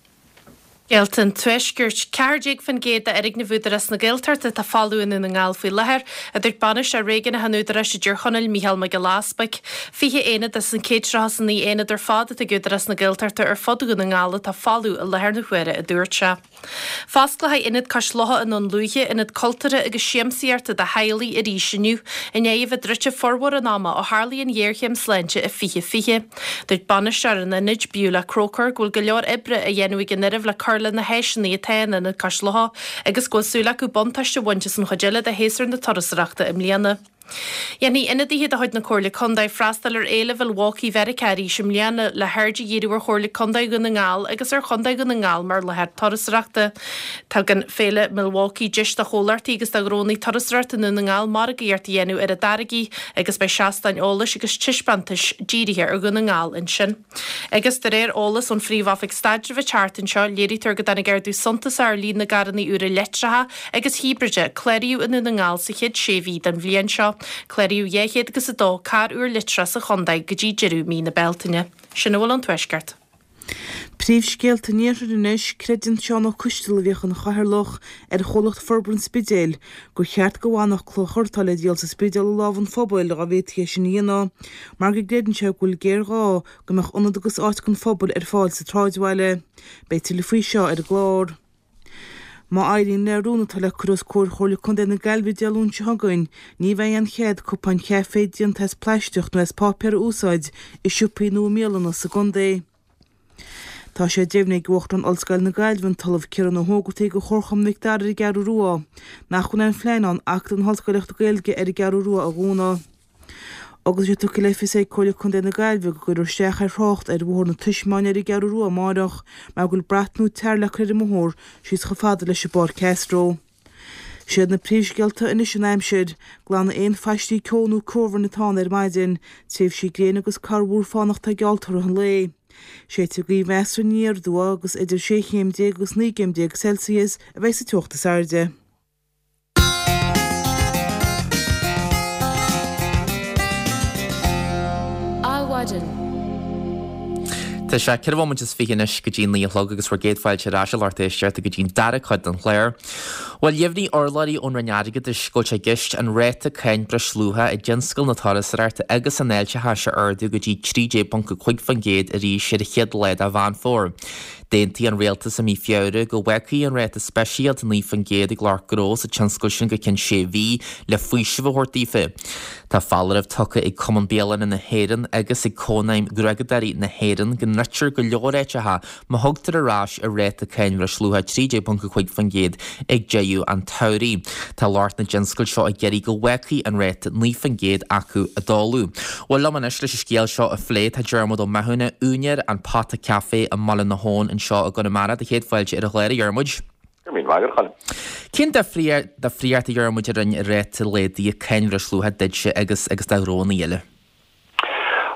Scéalta an Tuaiscirt, ceathair déag faoin gcéad d'fhoirgnimh Údarás na Gaeltachta atá folamh i nDún na nGall faoi láthair, a dúirt bainisteoir réigiúnach an Údaráis i dTír Chonaill, Mícheál Mac Giolla Easpaig. Fiche aonad as an céad tríocha is a naoi aonad ar fad atá ag Údarás na Gaeltachta ar fud Dhún na nGall atá folamh i láthair na huaire, a dúirt sé. Fosclóidh Ionad Cois Locha i nDún Lúiche, ionad cultúrtha agus siamsaíochta do theaghlaigh arís inniu, i ndiaidh a bheith druidte formhór an ama ó tharlaigh an ghéarchéim sláinte i fiche fiche. Dúirt bainisteoir an ionaid, Beulah Croker, go bhfuil go leor oibre á dhéanamh ag an fhoireann le cur le na háiseanna atá in Ionad Cois Locha agus go bhfuil súil acu buntáiste a bhaint as an chuid eile de shéasúr na turasóireachta i mbliana. Dhéanfaidh ionadaithe de chuid na Comhairle Contae freastal ar Fhéile Mhilwaukee Mheiriceá arís i mbliana le haird a dhíriú ar Chomhairle Contae Dhún na nGall agus ar Chontae Dhún na nGall mar láthair turasóireachta. Tugann Féile Milwaukee deis do chomhlachtaí agus do ghnónna turasóireachta i nDún na nGall margaíocht a dhéanamh ar a dtáirgí agus beidh seastáin eolais agus taispeántais dírithe ar Dhún na nGall ansin. Agus de réir eolas ón Phríomh-Oifig Staidrimh an tseachtain seo, léirítear go dtáinig ardú suntasach ar líon na gcarranna úra leictreacha agus híbride a cláraíodh i nDún na nGall sa chéad sé mhí den bhliain seo. Cláraíodh dhá chéad agus a dó carr úr leictreach sa chontae go dtí deireadh mí na Bealtaine. Sin a bhfuil ón Tuaisceart. Príomhscéalta an Iarthair anois, Creideann Seán Ó Coisteala a bhíodh ina chathaoirleach ar chomhlacht Forbartha an Spidéil gur cheart go bhfanfadh clochar atá le díol sa Spidéal i lámha an phobail dá bhféadfaí é sin a dhéanamh mar go gcreideann sé go bhfuil géarghá go mbeadh ionad agus áit don phobal ar fáil sa tsráidbhaile. Beidh tuilleadh faoi seo ar an gclár. Má éiríonn le rún atá le cur os comhair Chomhairle Contae na Gaillimhe Dé Luain seo chugainn, ní bheidh aon chead cupáin chaife déanta as plaisteach nó as páipéar a úsáid i siopaí nó i mbialanna sa gcontae. Tá sé deimhnithe ag Uachtarán Ollscoil na Gaillimhe, an tOllamh Ciarán Ó hÓgartaigh do Chomharchumann Mhic Dara ar an gCeathrú Rua, nach bhfuil aon phlean ann Acadamh na hOllscoileachta Gaeilge ar an gCeathrú Rua a dhúnadh. Agus tá sé tugtha le fios ag Comhairle Contae na Gaillimhe go gcuirfear isteach ar thrácht ar Bhóthar na Taismeáine ar an gCeathrú Rua amárach mar go bhfuil brat nua tar le cur ar an mbóthar síos chomh fada leis an bPáirc Castro. Siad na príomhscéalta anois an aimsir, glanfaidh aon phaistí ceo nó ceobhrain atá ann ar maidin, tréimhsí gréine agus corrmhúr fánach atá geallta i rith an lae. Séidfidh gaoth mheasartha aniar aduaidh agus idir sé chéim déag agus naoi gcéim déag Celsius a bheidh sa teocht is airde. Adhmhaidin. Tá sé ceithre bhomaite is fiche anois go dtí naoi a chlog agus bhur gcéad fáilte ar ais a lucht éisteachta go dtí'n dara cuid den chlár. Bhuel, dheimhnigh urlabhraí ón Roinn Airgeadais go bhfuil sé i gceist an ráta cáin breisluacha i dtionscal na turasóireachta agus an fháilteachais a ardú go dtí trí déag ponc a cúig faoin gcéad arís ar an chéad lá de Mheán Fómhair. D'aontaigh an Rialtas i mí Feabhra go bhfágfaí an ráta speisialta naoi faoin gcéad ag lucht gnó sa tionscal sin go ceann sé mhí le faoiseamh a thabhairt daofa. Tá foláireamh tugtha ag Cumann Bialanna na hÉireann agus ag Cónaidhm Ghriogadóirí na hÉireann go ndruidtear go leor áiteacha má thugtar ar ais ar ráta cáin bhreisluacha trí déag ponc a cúig faoin gcéad ag deireadh an tsamhraidh. Tá lucht na dtionscal seo ag iarraidh go bhfágfaí an ráta naoi faoin gcéad acu i dtólamh. Bhuel, liom anois leis an scéal seo a phlé tá Diarmuid Ó Mathúna, úinéir An Pota Café i mBaile na hAbhann anseo i gConamara. Do chéad fáilte ar an chlár, a Dhiarmuid. Go raibh míle maith agat, a Choilm. Cén difríocht, a Dhiarmuid, a rinne ráta laghdaithe cáin bhreisluacha duitse agus agus do ghnónna eile?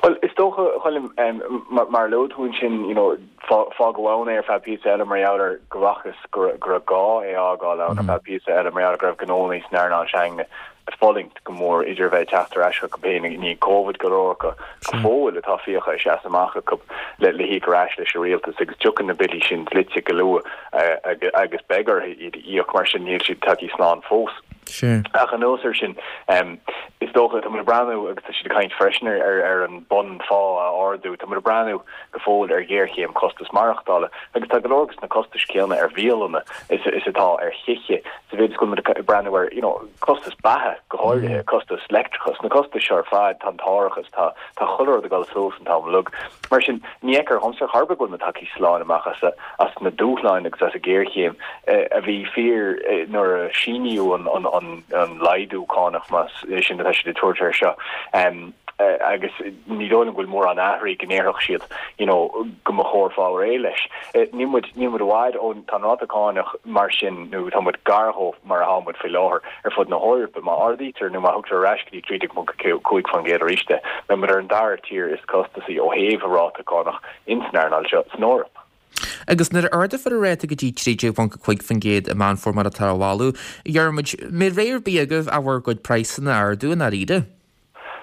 Bhuel, is dócha, a Choilm, mar a luaigh tú ansin, you know, fágadh ann é ar feadh píosa eile mar gheall ar go bhfacthas go raibh gá é a fhágáil ann ar feadh píosa eile mar gheall ar go raibh gnónna san earnáil s'againne ag fulaingt go mór idir a bheith ag teacht ar ais chucu féin i ndiaidh Covid, go leor acu go fóill atá fiacha ag seasamh amach acu le le híoc ar ais leis an rialtas agus tiocfaidh na billí sin dlite go luath agus beidh orthu iad a íoc, mar sin níl siad tagtha slán fós. Ach anuas air sin, is dócha, tá muid ag breathnú, agus tá siad ag caint freisin ar ar an bun phá a ardú, tá muid ag breathnú go fóill ar ghéarchéim costas maireachtála agus tá go leor de na costais céanna ar bhialanna is is atá ar thithe, sa mhéid is go bhfuil muid ag breathnú ar you know costas beatha go háirithe, costas leictreachais, na costais seo ar fad, tá an t-árachas, tá tá chuile rud ag dul suas an t-am uilig. Mar sin, ní fheictear dhomsa ar chor ar bith go bhfuil muid tagtha slán amach as as na dúshláin agus as an ghéarchéim a bhí fíor nuair a síníodh an laghdú cánach, más é sin atá siad ag tabhairt air seo, agus ní dóigh liom go bhfuil mórán athraithe go ndéarfadh siad you know go mba chóir fáil réidh leis. Níl muid, níl muid i bhfad ó, tá an ráta cánach mar sin nó tá muid gar dhó mar atá muid faoi láthair ar fud na hEorpa. Má ardaítear nó má thugtar ar ais go dtí trí déag ponc cúig faoin gcéad arís é, beidh muid ar an dara tír is costasaí ó thaobh a ráta cánach ins an earnáil seo san Eoraip. Agus nuair a ardófar an ráta go dtí trí déag ponc a cúig faoin gcéad i Meán Fómhair mar atá á mholadh, a Dhiarmuid, mbeidh rogha ar bith agaibh ach bhur gcuid praghsanna a ardú i ndáiríre?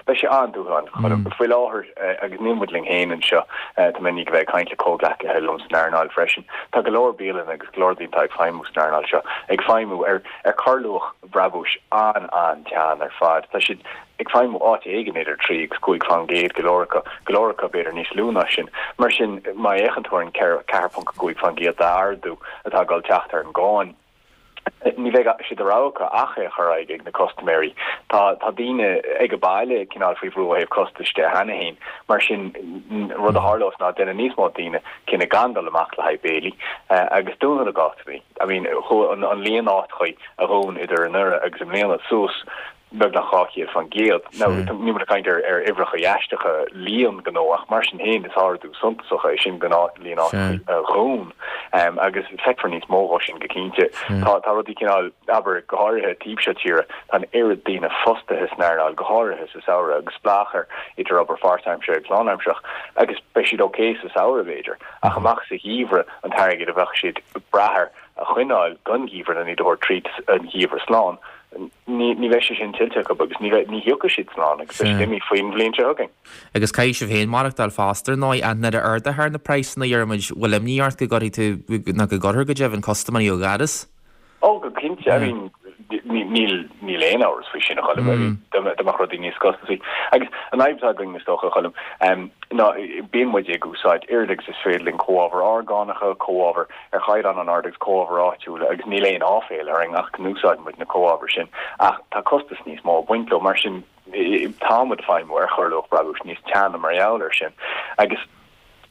Beidh sé an-dúshlánach, a Choilm. Faoi láthair, agus níl muid linn féin anseo, tá mé i ndiaidh a bheith ag caint le comhghleacaithe liom san earnáil freisin, tá go leor bialanna agus go leor daoine atá ag feidhmiú san earnáil seo ag feidhmiú ar ar chorrluach brabúis an-an-teann ar fad. Tá siad ag feidhmiú áit éigin idir trí agus cúig faoin gcéad, go leor acu, go leor acu b'fhéidir níos lú ná sin. Mar sin, má fhéachann tú ar an ceathair ponc a cúig faoin gcéad d'ardú atá ag dul teacht ar an gcáin, ní bheidh sé de rogha acu ach é a chur ar aghaidh ag na custaiméirí. Tá tá daoine ag an baile cineál faoi bhrú ó thaobh costais de cheana féin, mar sin rud a tharlós ná déanfaidh níos mó daoine cinneadh gan dul amach le haghaidh béilí agus dúnadh na gcásanna. I mean, chuaigh an líon áiteachaí a dhún idir anuraidh agus i mbliana suas beagnach dhá chéad faoin gcéad. Now, níl muid ag caint ar ar uimhreacha aisteacha líon gnó ach mar sin féin is ardú suntasach é sin don líon áiteacha a dhún agus feicfear níos mó dhó sin go cinnte. Tá tá rudaí cineál, abair, go háirithe taobh seo tíre, tá an oiread daoine fostaithe san earnáil, go háirithe sa samhradh agus spleách air idir obair pháirtaimseartha agus lánaimsearach agus beidh siad ok sa samhradh b'fhéidir ach amach sa gheimhreadh an t-airgead a bheadh siad ag brath air a choinneáil don gheimhreadh nó iad a thabhairt tríd an gheimhreadh slán. Ní bheidh sé sin tuillte acu agus ní thiocfaidh siad slán agus beidh siad imithe faoin bhliain seo chugainn. Agus caithfidh sibh féin maireachtáil fosta, ar ndóigh, ach nuair a ardaítear na praghsanna, a Dhiarmuid, bhfuil imní ort go gcuirfidh tú, nó go gcuirfear go deimhin, custaiméirí ó dhoras? Ó, go cinnte. I mean, níl níl aon amhras faoi sin, a Choilm. I mean, dá mbeadh rudaí níos costasaí. Agus an fhadhb atá againn, is dócha, a Choilm, ná bíonn muid ag úsáid oiread agus is féidir linn comhábhair orgánacha, comhábhair ar chaighdeán an-ard agus comhábhair áitiúla agus níl aon áiféal orainn ach go n-úsáideann muid na comhábhair sin ach tá costas níos mó ag baint leo mar sin tá muid ag feidhmiú ar chorrluach brabúis níos teanna mar gheall air sin agus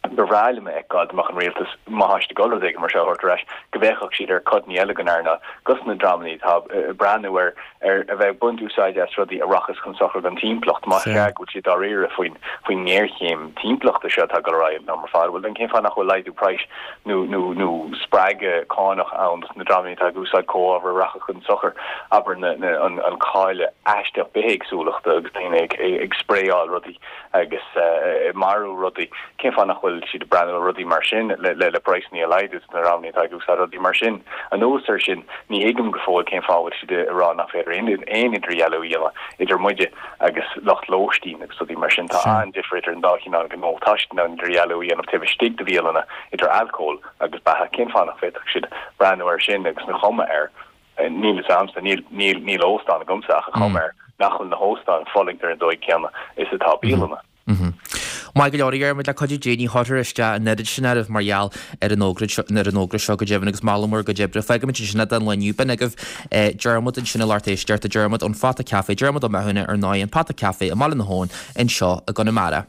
Ba bhreá liom a fheiceáil, dá mbeadh an rialtas, má tá siad ag dul rud éigin mar seo a thabhairt ar ais, go bhféachfadh siad ar codanna eile den earnáil, dos na dreamanna atá ag breathnú ar ar a bheith ag baint úsáide as rudaí a rachas chun sochair don timpeallacht, más ea go bhfuil siad dáiríre faoin faoin ngéarchéim timpeallachta seo atá ag dul ar aghaidh an t-am ar fad. Bhuel, then cén fáth nach bhfuil laghdú praghais nó nó nó spreagadh cánach ann dos na dreamanna atá ag úsáid comhábhair a rachadh chun sochair, abair na na an an cailleadh aisteach bithéagsúlachta agus daoine ag ag spraeáil rudaí agus ag marú rudaí, cén fáth nach bhfuil siad ag breathnú ar rudaí mar sin le praghsanna a laghdú do na dreamanna atá ag úsáid rudaí mar sin? Anuas air sin, ní thuigim go fóill cén fáth a bhfuil siad ag rá nach féidir aon idirdhealú a dhéanamh idir muide agus lucht lóistín agus rudaí mar sin. Tá an-difear idir an dá chineál gnó. Tá siad in ann idirdhealú a dhéanamh taobh istigh de bhialanna idir alcól agus beatha. Cén fáth nach bhféadfadh siad breathnú air sin agus an chuma air Níl fhios a'msa, níl, níl, níl óstán agamsa ach an chuma air nach bhfuil na hóstáin ag fulaingt ar an dóigh céanna is atá bialanna. Maith go leor, a Dhiarmuid, le cuidiú Dé ní chuirfear isteach an oiread sin oraibh mar gheall ar an fhógra seo, ar an fhógra seo go deimhin agus moladh mór bhur gcuid oibre. Fágfaimid ansin é don lá inniu. B'in agaibh Diarmuid ansin a lucht éisteachta, Diarmuid ón Phota Café, Diarmuid Ó Mathúna ar ndóigh, an Pota Café i mBaile na hAbhann anseo i gConamara.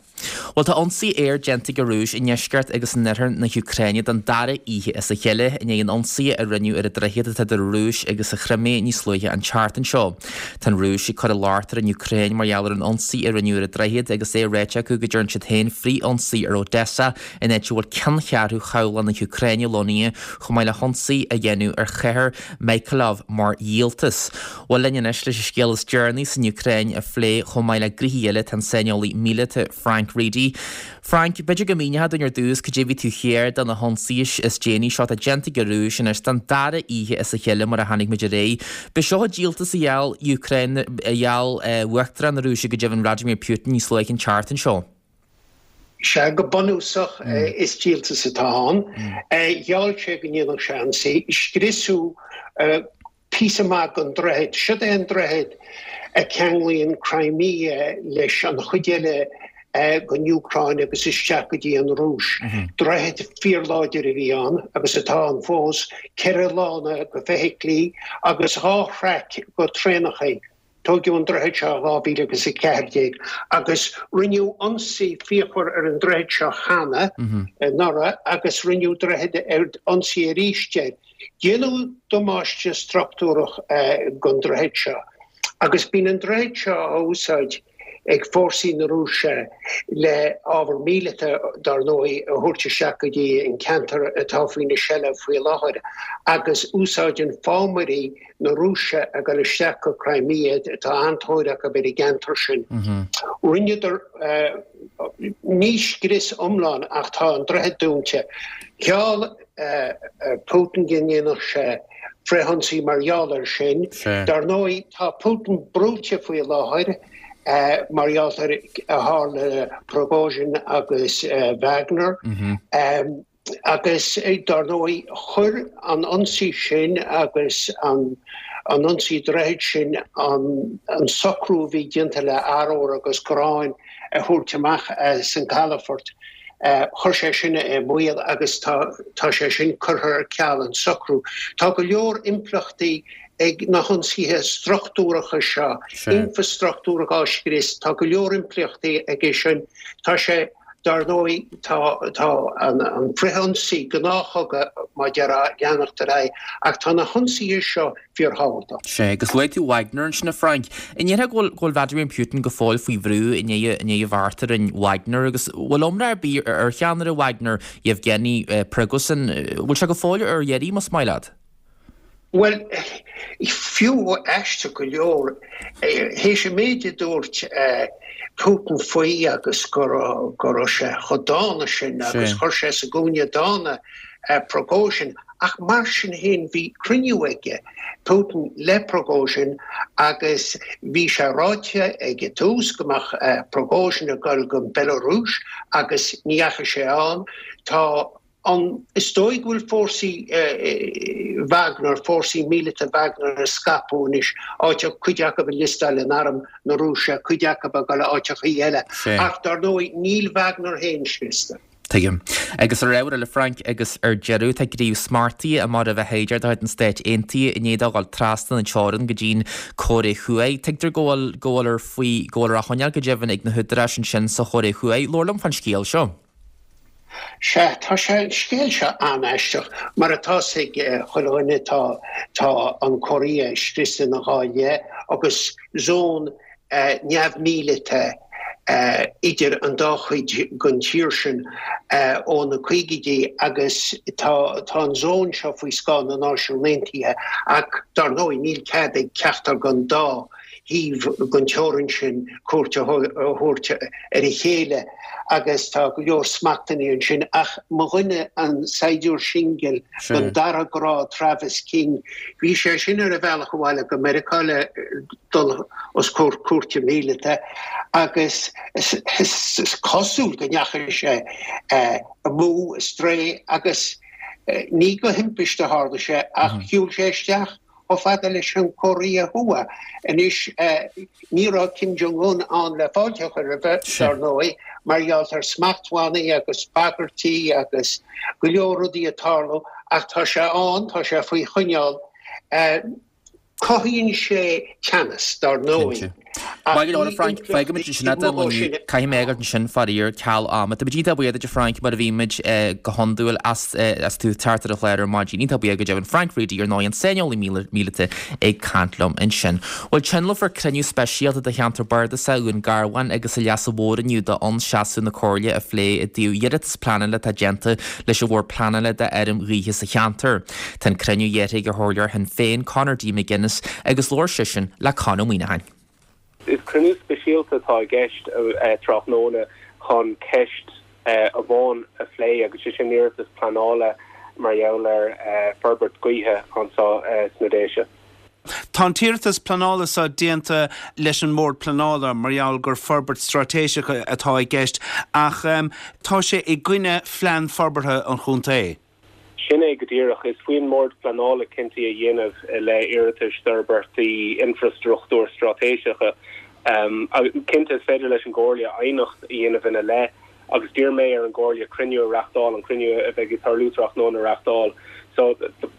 Bhuel, tá ionsaí aeir déanta ag an Rúis i ndeisceart agus in oirthear na hÚcráine don dara oíche as a chéile, i ndiaidh an ionsaí a rinneadh ar an droichead atá idir an Rúis agus an Chrimé níos luaithe an tseachtain seo. Tá an Rúis ag cur an locht ar an Úcráin mar gheall ar an ionsaí a rinneadh ar an droichead agus é ráite acu go dtearn siad féin frith-ionsaí ar Odessa, an áit a bhfuil ceanncheathrú chabhlach na hÚcráine lonnaithe, chomh maith le hionsaí a dhéanamh ar chathair Mykolaiv mar dhíoltas. Bhuel, linn anois leis an scéal is deireanaí san Úcráin a phlé chomh maith le gnoithí eile tá an saineolaí míleata Frank Reidy. Frank, b'fhéidir go míneofá dúinn ar dtús cad é a bhí taobh thiar de na hionsaithe is déanaí seo atá déanta ag an Rúis anois don dara oíche as a chéile mar a chonaic muid aréir. B'é seo an díoltas a gheall Úcráin, a gheall Uachtarán na Rúise go deimhin Vladimir Putin níos luaithe an tseachtain seo. Sea, go bunúsach is díoltas atá ann. Gheall sé go ndéanfadh sé ionsaí. Scriosadh píosa maith den droichead. Siod é an droichead a cheanglaíonn Crimea leis an chuid eile den Úcráin agus isteach go dtí an Rúis. Droichead fíorláidir a bhí ann agus atá ann fós, ceithre lána go feithiclí agus dhá thraic go traenachaí. Tóigeadh an droichead seo i dhá mhíle agus a ceathair déag agus rinneadh ionsaí fíochmhar ar an droichead seo cheana anuraidh agus rinneadh droichead ar ionsaí arís air. Déanadh damáiste struchtúrach don droichead seo agus bíonn an droichead seo á úsáid ag fórsaí na Rúise le ábhar míleata, dar ndóigh, a thabhairt isteach go dtí an ceantar atá faoina seilbh faoi láthair agus úsáideann fámairí na Rúise ag dul isteach go Crimea, tá an-tóir acu ar an gceantar sin. Rinneadar ní scrios iomlán ach tá an droichead dúnta. Gheall Putin go ndéanfadh sé frithionsaí mar gheall air sin. Dar ndóigh, tá Putin brúite faoi láthair mar gheall ar a tharla le Prigozhin agus Wagner. Agus dar ndóigh, chuir an ionsaí sin agus an ionsaí droichid sin an socrú a bhí déanta le arbhar agus gráin a thabhairt amach as an gcalafort, chuir sé sin i mbaol agus tá sé sin curtha ar ceal, an socrú. Tá go leor impleachtaí ag na hionsaithe struchtúracha seo, infreastruchtúr á scrios, tá go leor impleachtaí aige sin. Tá sé Dar ndóigh, tá tá an an frithionsaí, gnáthchogadh mar a déarfá, ag leanacht ar aghaidh, ach tá na hionsaithe seo fíorthábhachtach. Sea, agus luaigh tú Wagner ansin, a Frank. An ndéarfá go bhfuil go bhfuil Vladimir Putin go fóill faoi bhrú i ndiaidh i ndiaidh a bheart a rinne Wagner agus bhfuil iomrá ar bith ar cheannaire Wagner, Yevgeny Prigozhin, bhfuil sé go fóill ar iarraidh, más maith leat? Bhuel, fiú aisteach go leor, théis an méid a dúirt Putin faoi agus go raibh sé chomh dána sin agus chuir sé sa gcúinne dána Prigozhin, ach mar sin féin bhí cruinniú aige, Putin, le Prigozhin agus bhí sé ráite ag an tús go mbeadh Prigozhin ag dul go Belarus agus ní dheachaigh sé ann. Tá. An, is dóigh go bhfuil fórsaí Wagner, fórsaí míleata Wagner ag scaipeadh anois, áiteacha, cuid acu ag liostáil in arm na Rúise, cuid acu ag dul áiteachaí eile. Ach dar ndóigh níl Wagner féin scriosta. Tuigim. Agus ar ábhar eile, Frank, agus ar deireadh, tá gníomh smachtaithe i mbarr a bheith féidir de chuid na Stáit Aontaithe i ndiaidh dó dhul trasna na teorann go dtí'n Chóiré Thuaidh. Tuigtear go bhfuil, go bhfuil faoi, go bhfuil á choinneáil go deimhin ag na húdaráis ansin sa Chóiré Thuaidh. Labhair liom fán scéal seo. Sea, tá sé, an scéal seo an-aisteach. Mar atá 'fhios ag chuile dhuine, tá, tá an Chóiré scriosta ina dhá leith agus zón neamh-mhíleata idir an dá chuid den tír sin ó na caogaidí agus tá, tá an zón seo faoi scáth na Náisiún Aontaithe ach dar ndóigh níl cead ag ceachtar den dá thaobh den teorainn sin cuairt a thabhairt ar a chéile agus tá go leor smachtbhannaí ansin ach mo dhuine, an saighdiúir singil den dara grád Travis King, bhí sé sin ar a bhealach abhaile go Meiriceá le dul os comhair cúirte míleata agus is cosúil go ndeachaigh sé amú, astray agus ní de thimpiste a tharla sé ach shiúil sé isteach chomh fada leis an Chóiré Thuaidh. Anois, ní raibh Kim Jong Un ann le fáilte a chur roimhe, dar ndóigh, mar gheall ar smachtbhannaí agus bagairtí agus go leor rudaí ag tarlú, ach tá sé ann, tá sé faoi choinneáil. Cothaíonn sé teannas, dar ndóigh. Maith go leor, a Frank. Fágfaimid ansin é don lá inniu. Caithfidh mé a fhágáilt ansin, faraor, ceal ama. Tá muid iontach buíoch duit, a Frank, mar a bhímid go hiondúil as as tú teacht ar an chlár ar maidin. Iontach buíoch go deimhin. Frank Reidy, ar ndóigh, an saineolaí míleata ag caint liom ansin. Bhuel, tionólfar cruinniú speisialta de cheantar bardasach Dhún Garbhán agus an Leasa Mhóir inniu d'fhonn seasamh na Comhairle a phlé i dtaobh iarratas pleanála atá déanta leis an Bhord Pleanála d'fheirm ghaoithe sa cheantar. Tá an cruinniú iarrtha ag an Chomhairleoir Shinn Féin, Conor D. McGuinness, agus labhair seisean le Con Ó Muíneacháin. Is cruinniú speisialta atá i gceist tráthnóna chun ceist amháin a phlé agus sé sin iarratas pleanála mar gheall ar forbairt gaoithe anseo sna Déise. Tá an t-iarratas pleanála seo déanta leis an mBord Pleanála mar gheall gur forbairt straitéiseach atá i gceist ach tá sé i gcoinne phlean forbartha an chontae. Sin é go díreach. Is faoin mBord Pleanála cinntí a dhéanamh i leith iarratais d'fhorbairtí infreastruchtúir straitéiseacha. Cinnte, is féidir leis an gComhairle aighneacht a dhéanamh ina leith agus d'iarr mé ar an gComhairle cruinniú a reáchtáil, an cruinniú a bheidh ag tarlú tráthnóna a reáchtáil. So,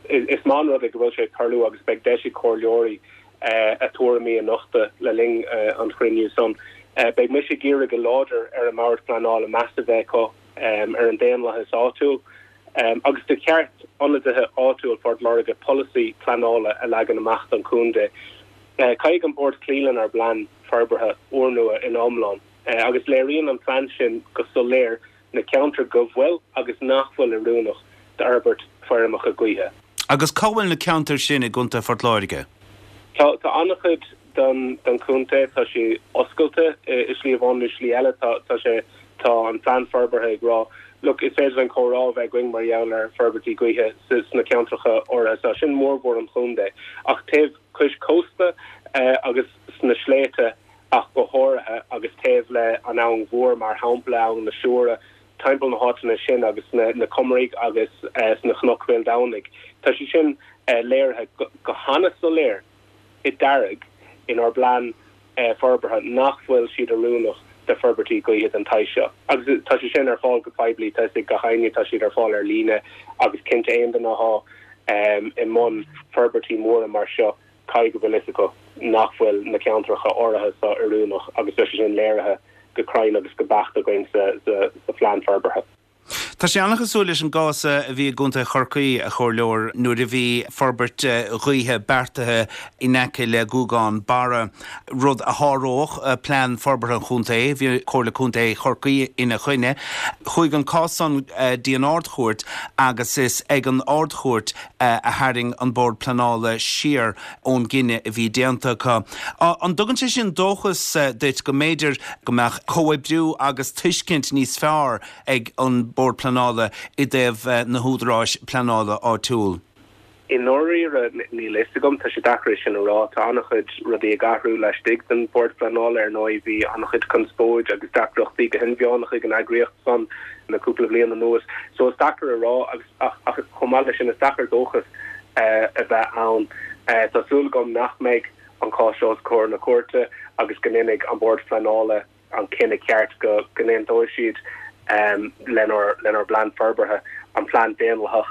is maith an rud é go bhfuil sé ag tarlú agus beidh deis ag comhairleoirí a dtuairimí a nochtadh le linn an chruinniú san. Beidh mise ag iarraidh go láidir ar an mBord Pleanála meas a bheith acu ar an daonlathas áitiúil. Agus de cheart ionadaithe áitiúil Phort Láirge polasaí pleanála a leagan amach don chontae. Caithfidh an Bord cloí lenár bplean forbartha úrnua ina iomlán, agus léiríonn an plean sin go soiléir na ceantair go bhfuil agus nach bhfuil oiriúnach d'fhorbairt feirmeacha gaoithe. Agus cá bhfuil na ceantair sin i gContae Phort Láirge? Tá an-chuid den chontae, tá sé oscailte i slí amháin nó slí eile, tá sé, tá an plean forbartha ag rá, look, is féidir linn comhrá a bheith againn mar gheall ar forbairtí gaoithe sna ceantracha áirithe seo, sin mórmhór an chontae, ach taobh cois cósta agus sna sléibhte ach go háirithe agus taobh le an Abhainn Mhór mar shampla, Abhainn na Siúire, timpeall na háiteanna sin agus sna na Comaraigh agus sna Cnoic Bhéal Domhnaigh. Tá sé sin léirithe go hana-soiléir i dearg inár bplean forbartha nach bhfuil siad oiriúnach do forbairtí gaoithe den tsaghas seo. Agus tá sé sin ar fáil go poiblí, tá fhios ag gach éinne, tá siad ar fáil ar líne agus cinnte aon duine athá i mbun forbairtí móra mar seo, caithfidh go bhfuil fhios acu nach bhfuil na ceantracha áirithe seo oiriúnach agus tá sé sin léirithe go cruinn agus go beacht againn sa sa phlean forbartha. Tá sé an-chosúil leis an gcás a bhí i gContae Chorcaí, a Chomhairleoir, nuair a bhí forbairt ghaoithe beartaithe in aice le Guagán Barra, rud a sháródh plean forbartha an chontae. Bhí Comhairle Contae Chorcaí ina choinne. Chuaigh an cás san dtí an Ard-Chúirt agus is ag an Ard-Chúirt a tharraing an Bord Pleanála siar ón gcinneadh a bhí déanta acu. An dtugann sé sin dóchas duit go mb'fhéidir go mbeadh comhoibriú agus tuiscint níos fearr ag an Bord Pleanála i dtaobh na húdaráis pleanála áitiúil? I ndáiríre, níl a fhios agam. Tá sé deacair é sin a rá. Tá an-chuid rudaí ag athrú laistigh den Bhord Pleanála, ar ndóigh. Bhí an-chuid conspóid agus deacrachtaí go hinmheánach ag an eagraíocht san le cúpla bliain anuas. So is deacair a rá agus ach ach chomh maith leis sin is deacair dóchas a bheith ann. Tá súil agam nach mbeidh an cás seo os comhair na cúirte agus go ndéanfaidh an Bord Pleanála an cinneadh ceart go n-aontóidh siad lenár lenár bplean forbartha, an plean daonlathach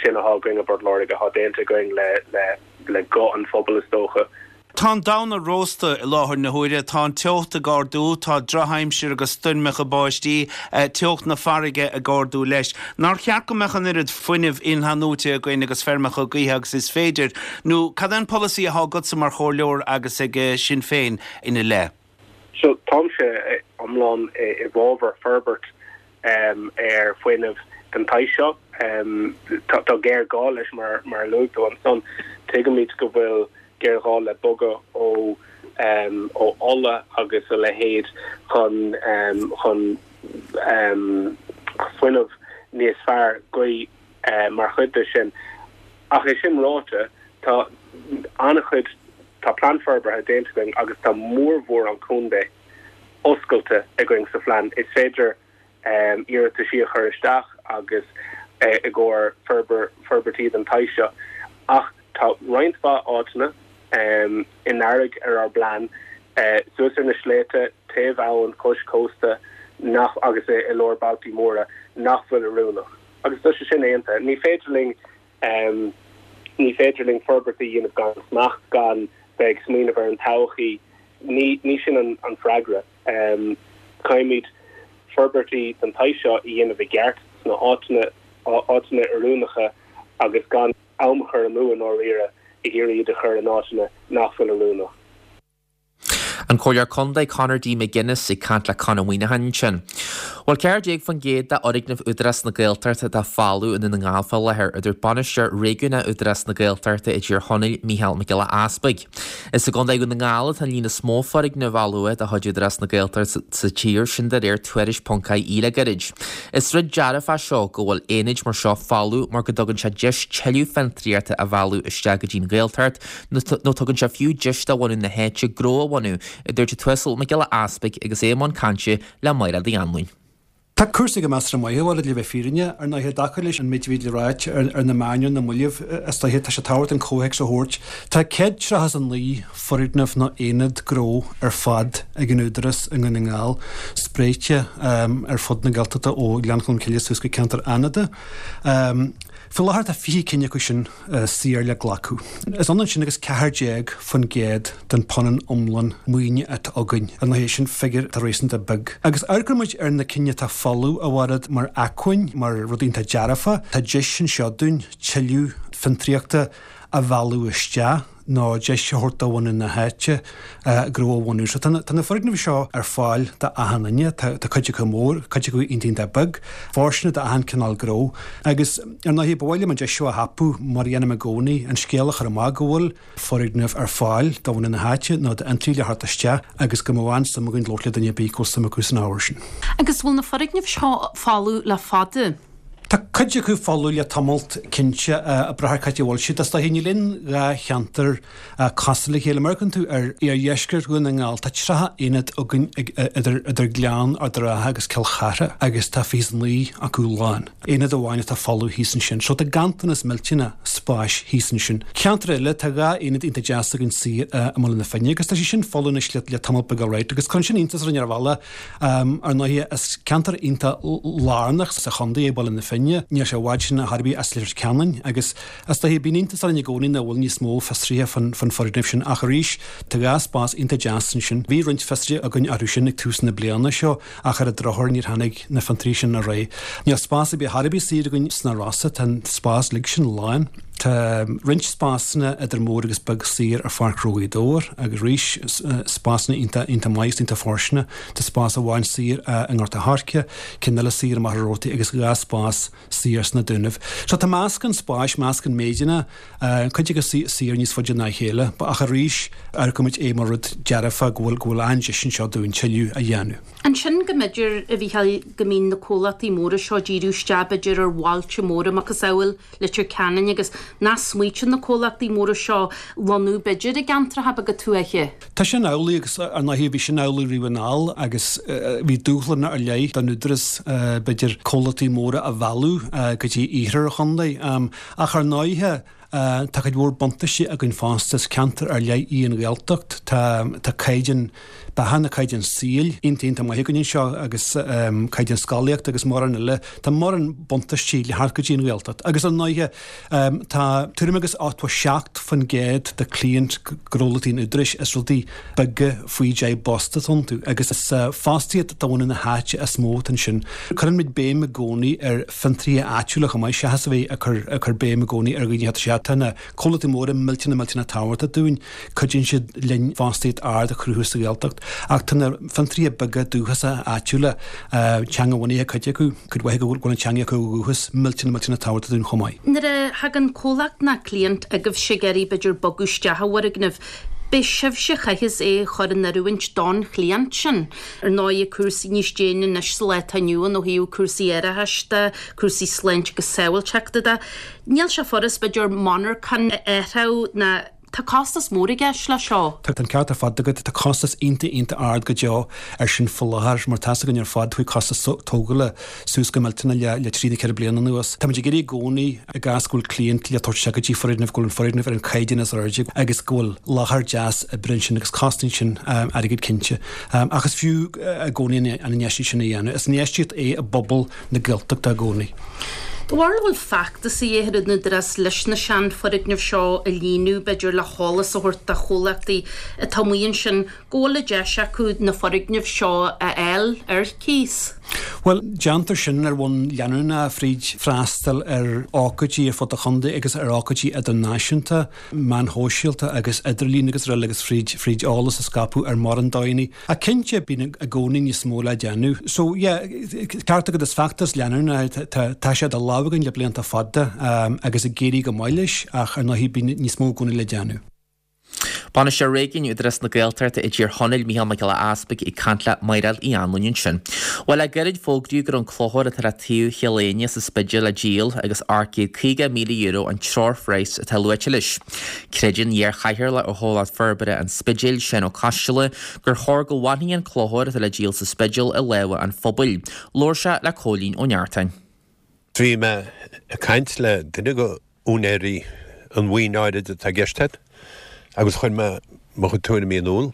sin atá againn i bPort Láirge, atá déanta againn le le le guth an phobail is dócha. Tá an domhan ag róstadh i láthair na huaire, tá an teocht ag ardú, tá drochaimsir agus stoirmeacha báistí, teocht na farraige ag ardú leis. Nár cheart go mbeadh an oiread fuinnimh in-athnuaite againn agus feirmeacha gaoithe agus is féidir? Nó cad é an polasaí atá agatsa mar chomhairleoir agus ag Sinn Féin ina leith? So táimse iomlán i bhfabhar forbairt ar fuinneamh den tsaghas seo. Tá géarghá leis mar mar a luaigh tú ansan. Tuigimid go bhfuil géarghá le bogadh ó ó ola agus a leithéid chun chun fuinneamh níos fearr, gaoth mar chuid de sin. Ach é sin ráite, tá an-chuid, tá plean forbartha déanta againn agus tá mórmhór an chontae oscailte againn sa phlean. Is féidir iarrataisí a chur isteach agus i gcomhair forbairtí den tsaghas seo. Ach tá roinnt mhaith áiteanna i ndearg ar ár bplean, suas ar na sléibhte, taobh abhann, cois cósta, nach agus i lár bailtí móra, nach bhfuil oiriúnach. Agus tá sé sin aontaithe. Ní féidir linn ní féidir linn forbairt a dhéanamh gan smacht, gan bheith ag smaoineamh ar an todhchaí. Ní ní sin an an freagra. Caithfimid forbairtí den tsaghas seo a dhéanamh i gceart sna áiteanna áiteanna oiriúnacha agus gan am a chur amú i ndáiríre ag iarraidh iad a chur in áiteanna nach bhfuil oiriúnach. An Comhairleoir Contae Conor D McGuinness ag caint le Con Ó Muíneacháin ansin. Bhuel, ceathair déag faoin gcéad d'fhoirgnimh Údarás na Gaeltachta atá folamh i nDún na nGall fá láthair, a dúirt Bainisteoir Réigiúnach Údarás na Gaeltachta i dTír Chonaill, Mícheál Mac Giolla Easpaig. Is i gContae Dhún na nGall atá an líon is mó foirgneamh fholmha de chuid Údarás na Gaeltachta sa tír, sin de réir tuairisc ponc ie le gairid. Is rud dearfach seo go bhfuil aonaid mar seo folamh mar go dtugann sé deis tuilleadh fiontraíochta a mhealladh isteach go dtí an Ghaeltacht nó tugann sé fiú deis do bhunadh na háite gnó a bhunú, a dúirt an tUasal Mac Giolla Easpaig agus é i mbun cainte le Máire Uí Anluain. Tá cúrsaí go measartha maith, a Mhairéad, le bheith fírinneach, ar ndóigh, i dtaca leis an méid a bhí le ráit ar na meáin ar na mallaibh, is dóiche, tá sé tábhachtach an comhthéacs a thabhairt. Tá céad tríocha is a naoi foirgneamh nó aonad gnó ar fad ag an Údarás i nDún na nGall, spréite ar fud na Gaeltachta ó Ghleann Cholm Cille suas go ceantar Fhánada. Faoi láthair tá fiche cinn acu sin saor le glacadh. Is ionann sin agus ceathair déag faoin gcéad den phunann iomlán maoine atá againn. Ar ndóigh, sin figiúr atá réasúnta beag. Agus amharcann muid ar na cinn atá folamh, a Mhairéad, mar acmhainn, mar rud iontach dearfa. Tá deis anseo dúinn tuilleadh fiontraíochta a mhealladh isteach nó deis a thabhairt do bhunadh na háite gnó a bhunú. So tá na foirgnimh seo ar fáil d'achan duine, tá cuid acu mór, cuid acu iontach iontach beag, fóirsteanach d'achan cineál gnó. Agus ar ndóigh ba mhaith liom an deis seo a thapú, mar a dhéanaim i gcónaí, an scéal a chur amach go bhfuil foirgnimh ar fáil do bhunadh na háite nó d'fhiontraí le theacht isteach agus go mbeadh an-suim againn labhairt le duine ar bith go bhfuil suim acu san ábhar sin. Agus bhfuil na foirgnimh seo folamh le fada? Tá cuid acu folamh le tamalt, cinnte, ag brath ar cá háit a bhfuil siad. Is dóiche, níl aon dhá cheantar cosúil le chéile. Má amharcann tú ar iardheisceart Dhún na nGall, tá tríocha aonad againn idir Gleann Ard an Rátha agus Cill Chartha agus tá fiche is a naoi acu lán. Aonad amháin atá folamh thíos ansin. So tá ganntanas millteanach spáis thíos ansin. Ceantar eile, tá dhá aonad iontach deas againn saor i mBaile na Finne agus tá sé sin folamh anois le tamall beag alright agus cuireann sin iontas orainn ar bhealach. Ar ndóigh, is ceantar iontach lárnach sa chontae é Baile na Finne. Níl sé i bhfad sin ar chor ar bith as Leitir Ceanainn agus is dóiche bíonn iontas orainn i gcónaí nach bhfuil níos mó fiosruithe fán fán foirgneamh sin ach arís tá dhá spás iontach deas ansin. Bhí roinnt fiosruithe againn orthu sin ag tús na bliana seo ach ar an drochuair níor tháinig na fiontraí sin ar aghaidh. Níl spás ar bith ar bith saor againn sna Rosa, tá an spás uilig sin lán. Tá roinnt spásanna idir mór agus beag saor ar Pháirc Ghnó Ghaoth Dobhair agus arís spásanna iontach iontach maith agus iontach fóirsteanach. Tá spás amháin saor i nGort a' Choirce, ceann eile saor i Machaire Rabhartaigh agus dhá spás saor sna Dúnaibh. So tá meascán spáis, meascán méideanna, cuid acu saor níos faide ná a chéile, ach arís amharcaimid é mar rud dearfa go bhfuil go bhfuil an-deis anseo dúinn tuilleadh a dhéanamh. Ansin go mb'fhéidir, a Mhícheáil, go mbíonn na comhlachtaí móra seo ag díriú isteach b'fhéidir ar bhailte móra macasamhail Leitir Ceanainn agus nach smaoitíonn na comhlachtaí móra seo lonnú b'fhéidir i gceantracha beaga tuaithe. Tá sin amhlaidh agus ar ndóigh bhí sin amhlaidh riamh anall agus bhí dúshlán ar leith don Údarás b'fhéidir comhlachtaí móra a mhealladh go dtí iarthar an chontae. Ach ar ndóighe tá cuid mhór buntáistí againn fosta, is ceantar ar leith í an Ghaeltacht, tá tá caighdeán beatha nó caighdeán saoil iontach iontach maith againn anseo agus caighdeán scolaíochta agus mórán eile. Tá mórán buntáistí le theacht go dtí an Ghaeltacht. Agus ar ndóighe tá tuairim agus ochtó seacht faoin gcéad de chliaint gnólachtaí an Údaráis is rudaí beaga faoi deich bpost atá iontu agus is fostaíocht do bhunadh na háite is mó atá ansin. Cuireann muid béim i gcónaí ar fhiontraithe áitiúla chomh maith seachas a bheith ag cur ag cur béim i gcónaí ar dhaoine atá sé Tá na comhlachtaí móra millteanach millteanach tábhachtach dúinn, cuidíonn siad linn fostaíocht ard a chruthú sa Ghaeltacht. Ach tá na fiontraithe beaga dúchasacha áitiúla, teanga-bhunaithe cuid acu, cuid mhaith acu go bhfuil an teanga acu ó dhúchas, millteanach millteanach tábhachtach dúinn chomh maith. Nuair a thagann comhlacht ná cliant agaibhse ag iarraidh b'fhéidir bogadh isteach i bhfoirgneamh, B'é sibhse a chaithfeas é a chur in oiriúint don chliant sin. Ar ndóigh, cúrsaí níos déine anois sa lá atá inniu ann ó thaobh cúrsaí árachais de, cúrsaí sláinte agus sábháilteachta de. Níl sé furast, b'fhéidir, monarchan a athrú ná tá costas mór i gceist leis seo. Tá an ceart ar fad agat, tá costas iontach iontach ard go deo ar sin faoi láthair, mar tá's againn ar fad chuaigh costas tógála suas go millteanach le le trí nó ceithre bliana anuas. Táimid ag iarraidh i gcónaí i gcás go bhfuil cliant le tabhairt isteach go dtí foirgneamh, go bhfuil an foirgneamh ar an chaighdeán is airde agus go bhfuil láthair deas oibre ansin agus cosnaíonn sin airgead cinnte. Ach is fiú i gcónaí an infheistíocht sin a dhéanamh. Is infheistíocht é i bpobal na Gaeltachta i gcónaí. Do bharúil an bhfuil feachtas a dhíth ar an Údarás leis na seanfhoirgnimh seo a líonadh, b'fhéidir le heolas a thabhairt do chomhlachtaí atá amuigh ansin go bhfuil an deis acu na foirgnimh seo a fháil ar cíos? Bhuel, déantar sin ar bhonn leanúnach fríd freastal ar ócáidí ar fud an chontae agus ar ócáidí idirnáisiúnta, meáin shóisialta agus idirlíon agus araile agus fríd fríd eolas a scaipeadh ar mórán dóigheanna. Ach cinnte, bíonn i gcónaí níos mó le déanamh. So, yeah, ceart agat, is feachtas leanúnach é. Tá tá sé idir lámha againn le blianta fada agus ag éirí go maith leis ach ar ndóigh bíonn níos mó i gcónaí le déanamh. Bainisteoir Réigiúin Údarás na Gaeltachta i dTír Chonaill, Mícheál Mac Giolla Easpaig ag caint le Mairéad Uí Anluain ansin. Bhuel, le gairid fógraíodh go raibh an clochar atá le taobh Chill Éinne sa Spidéal le díol agus ocht gcéad caoga míle euro an treoirphraghas atá luaite leis. Creideann iar-chathaoirleach ar Chomhlacht Forbartha an Spidéil, Seán Ó Coisteala, gur chóir go bhfanfaidh an clochar atá le díol sa Spidéal i lámha an phobail. Labhair sé le Cóilín Ó Neartáin. Bhí mé ag caint le duine de úinéirí an mhaoin áirid atá i gceist agat agus chuir mé mo chuid tuairimí in iúl.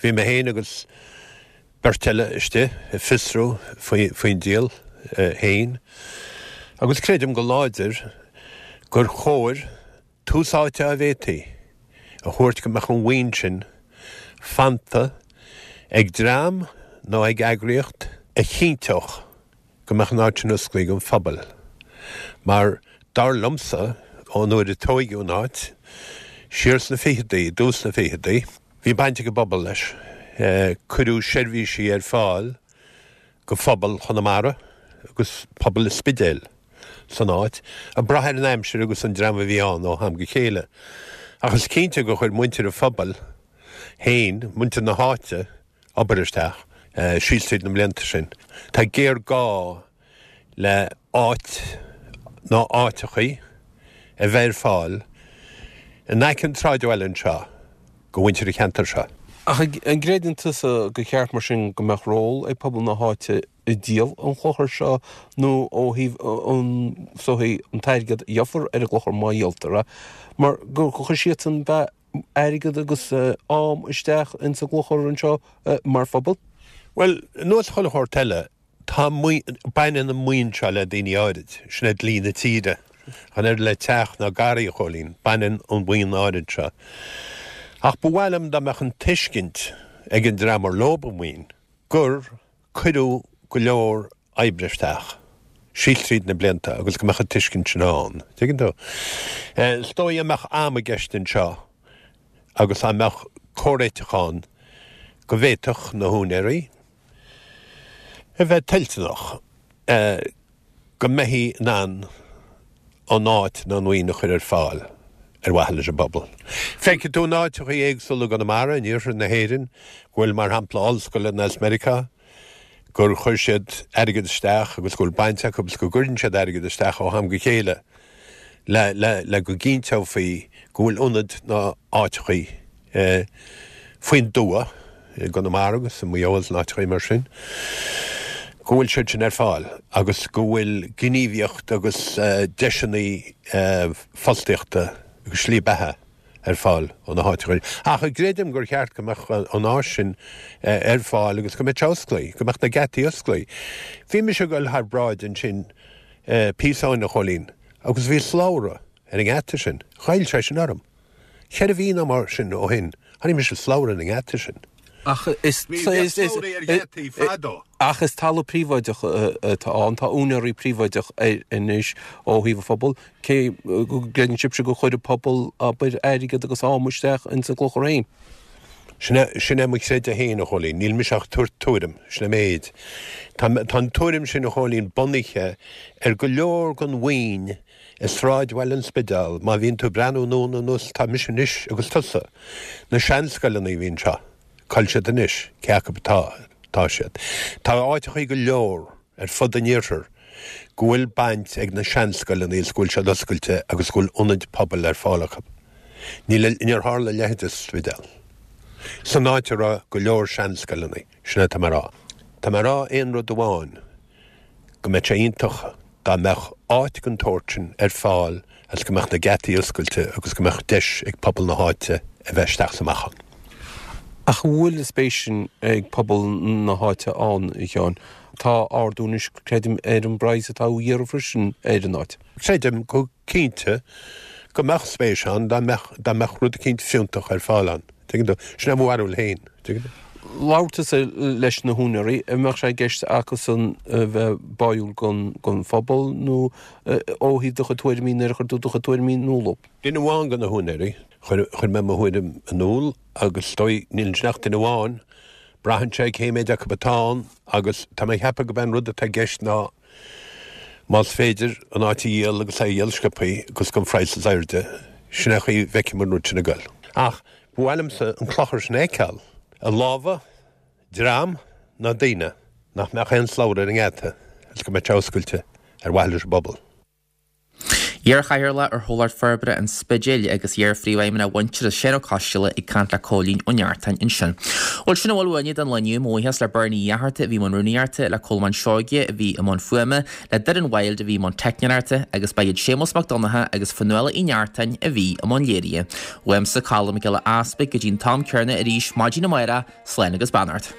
Bhí mé féin agus beirt eile istigh ag fiosrú faoin díol féin agus creidim go láidir gur chóir tús áite dá bhféadfaí a thabhairt go mbeadh an mhaoin sin fanta ag dream nó ag eagraíocht a chinnteodh go mbeadh an áit sin osclaithe don phobal. Mar dar liomsa, ón uair a tóigeadh an áit, siar sna ficheadaí, i dtús na ficheadaí, bhí baint ag an bpobal leis. Cuireadh seirbhísí ar fáil go phobal Chonamara agus pobal an Spidéil san áit, ag brath ar an aimsir agus an dream a bhí ann ó am go chéile. Ach is cinnte gur chuir muintir an phobail féin, muintir na háite, obair isteach síos tríd na mblianta sin. Tá géarghá le áit nó áiteachaí a bheith ar fáil in aice an tsráidbhaile anseo go mhuintir an cheantair seo. Ach an gcreideann tusa gur cheart mar sin go mbeadh ról ag pobal na háite i díol an chlochair seo nó ó thaobh an is dóichí an t-airgead a gheofar ar an gclochar má dhíoltar é mar gur chuir siadsan bheith airgead agus am isteach ins an gclochar anseo mar phobal? Bhuel, ar nós chuile shórt eile, Tá baineann an mhaoin seo le daoine áirid, sin é dlí na tíre. Chan oiread le teach ná garraí, a Chóilín, baineann an mhaoin áirid seo. Ach ba mhaith liom dá mbeadh an tuiscint ag an dream ar leob an mhaoin gur cuireadh go leor oibre isteach síos tríd na blianta agus go mbeadh an tuiscint sin ann. Tuigeann tú? Is dóigh dá mbeadh am i gceist anseo agus dá mbeadh comhréiteach ann go bhféadfadh na húinéirí a bheith toilteanach go mbeifí in ann an áit nó an mhaoin a chur ar fáil ar mhaithe leis an bpobal. Feicfidh tú in áiteachaí éagsúla i gConamara, in iarthar na hÉireann, go bhfuil, mar shampla, ollscoileanna as Meiriceá, gur chuir siad airgead isteach agus go bhfuil baint acu agus go gcuireann siad airgead isteach ó am go chéile le, le, le go gcinnteofaí go bhfuil ionaid nó áiteachaí faoin dtuath i gConamara agus i Maigh Eo agus in áiteachaí mar sin, go bhfuil siad sin ar fáil agus go bhfuil gníomhaíocht agus deiseanna fostaíochta agus slí beatha ar fáil ó na háiteachaí. Ach creidim gur cheart go mbeadh an áis sin ar fáil agus go mbeadh sé osclaí, go mbeadh na geataí osclaí. Bhí mise ag dul thar bráid ansin píosa ó shin, a Chóilín, agus bhí slabhra ar an ngeata sin. Ghoill sé sin orm. Ceithre mhí nó mar sin ó shin, chonaic mise slabhra ar an ngeata sin. Ach is Ach is talamh príobháideach atá ann, tá úinéirí príobháideach air anois ó thaobh an phobail. Cé go gcreideann sibhse gur chuir an pobal, abair, airgead agus am isteach ins an gclochar féin? Sin é, sin é mo chreideamh féin, a Chóilín. Níl mise ach ag tabhairt tuairim. Sin é an méid. Tá, tá an tuairim sin, a Chóilín, bunaithe ar go leor den mhaoin i sráidbhaile an Spidéil, má bhíonn tú ag breathnú anonn anuas, tá mise anois agus tusa, na seanscoileanna a bhí anseo, cá bhfuil siad anois, cé acu atá, tá siad. Tá áiteachaí go leor ar fud an iarthair go bhfuil baint ag na seanscoileanna is go bhfuil siad oscailte agus go bhfuil ionaid pobail ar fáil acu. Níl, níor tharla a leithéid sa Spidéal. San áit a raibh go leor seanscoileanna, sin é atá mé a rá. Tá mé a rá aon rud amháin, go mbeadh sé iontach dá mbeadh áit den tsórt sin ar fáil agus go mbeadh na geataí oscailte agus go mbeadh deis ag pobal na háite a bheith isteach is amach ann. Ach an bhfuil an spéis sin ag pobal na háite ann, a Sheáin? Tá ardú anois, creidim, ar an bpraghas atá á iarraidh freisin ar an áit. Creidim go cinnte go mbeadh spéis ann dá mbeadh, dá mbeadh rud eicínt fiúntach ar fáil ann. Tuigeann tú? Sin é mo bharúil féin. Tuigeann tú? Labhair tusa leis na húinéirí, an mbeadh sé i gceist acusan a bheith báúil don phobal nó ó thaobh do chuid tuairimí nuair a chuir tú do chuid tuairimí in iúl dóibh? Duine amháin de na húinéirí, chuir, chuir mé mo thuairim in iúl agus is dóigh, níl ansin ach duine amháin, braitheann sé cé méid acu atá ann agus tá mé ag ceapadh go b'é an rud atá i gceist ná Más féidir an áit a dhíol agus é a dhíol sciobthaí agus don phraghas is airde, sin é an chaoi a bhfeicim an rud sin ag goil. Ach ba mhaith liomsa an clochar sin a fheiceáil i lámha dream nó daoine nach mbeadh aon slabhra ar an ngeata agus go mbeadh sé oscailte ar mhaithe leis an bpobal. Iar-Chathaoirleach ar Chomhlacht Forbartha an Spidéil agus iar-Phríomhfheidhmeannach Mhuintearas, Seán Ó Coisdealbha ag caint le Cóilín Ó Neachtain ansin. Bhuel, sin a bhfuil uainne don lá inniu. Mo bhuíochas le Bernie Uí Fhatharta a bhí i mbun rúnaíochta, le Colmán Seoige a bhí i mbun fuaime, le Doireann Wilde a bhí i mbun teicneoireachta agus ba iad Séamus Mac Donncha agus Fionnuala Uí Neachtain a bhí i mbun léirithe. Uaimse, Colm Mac Giolla Easpaig, go dtí an t-am céanna arís maidin amárach, slán agus beannacht.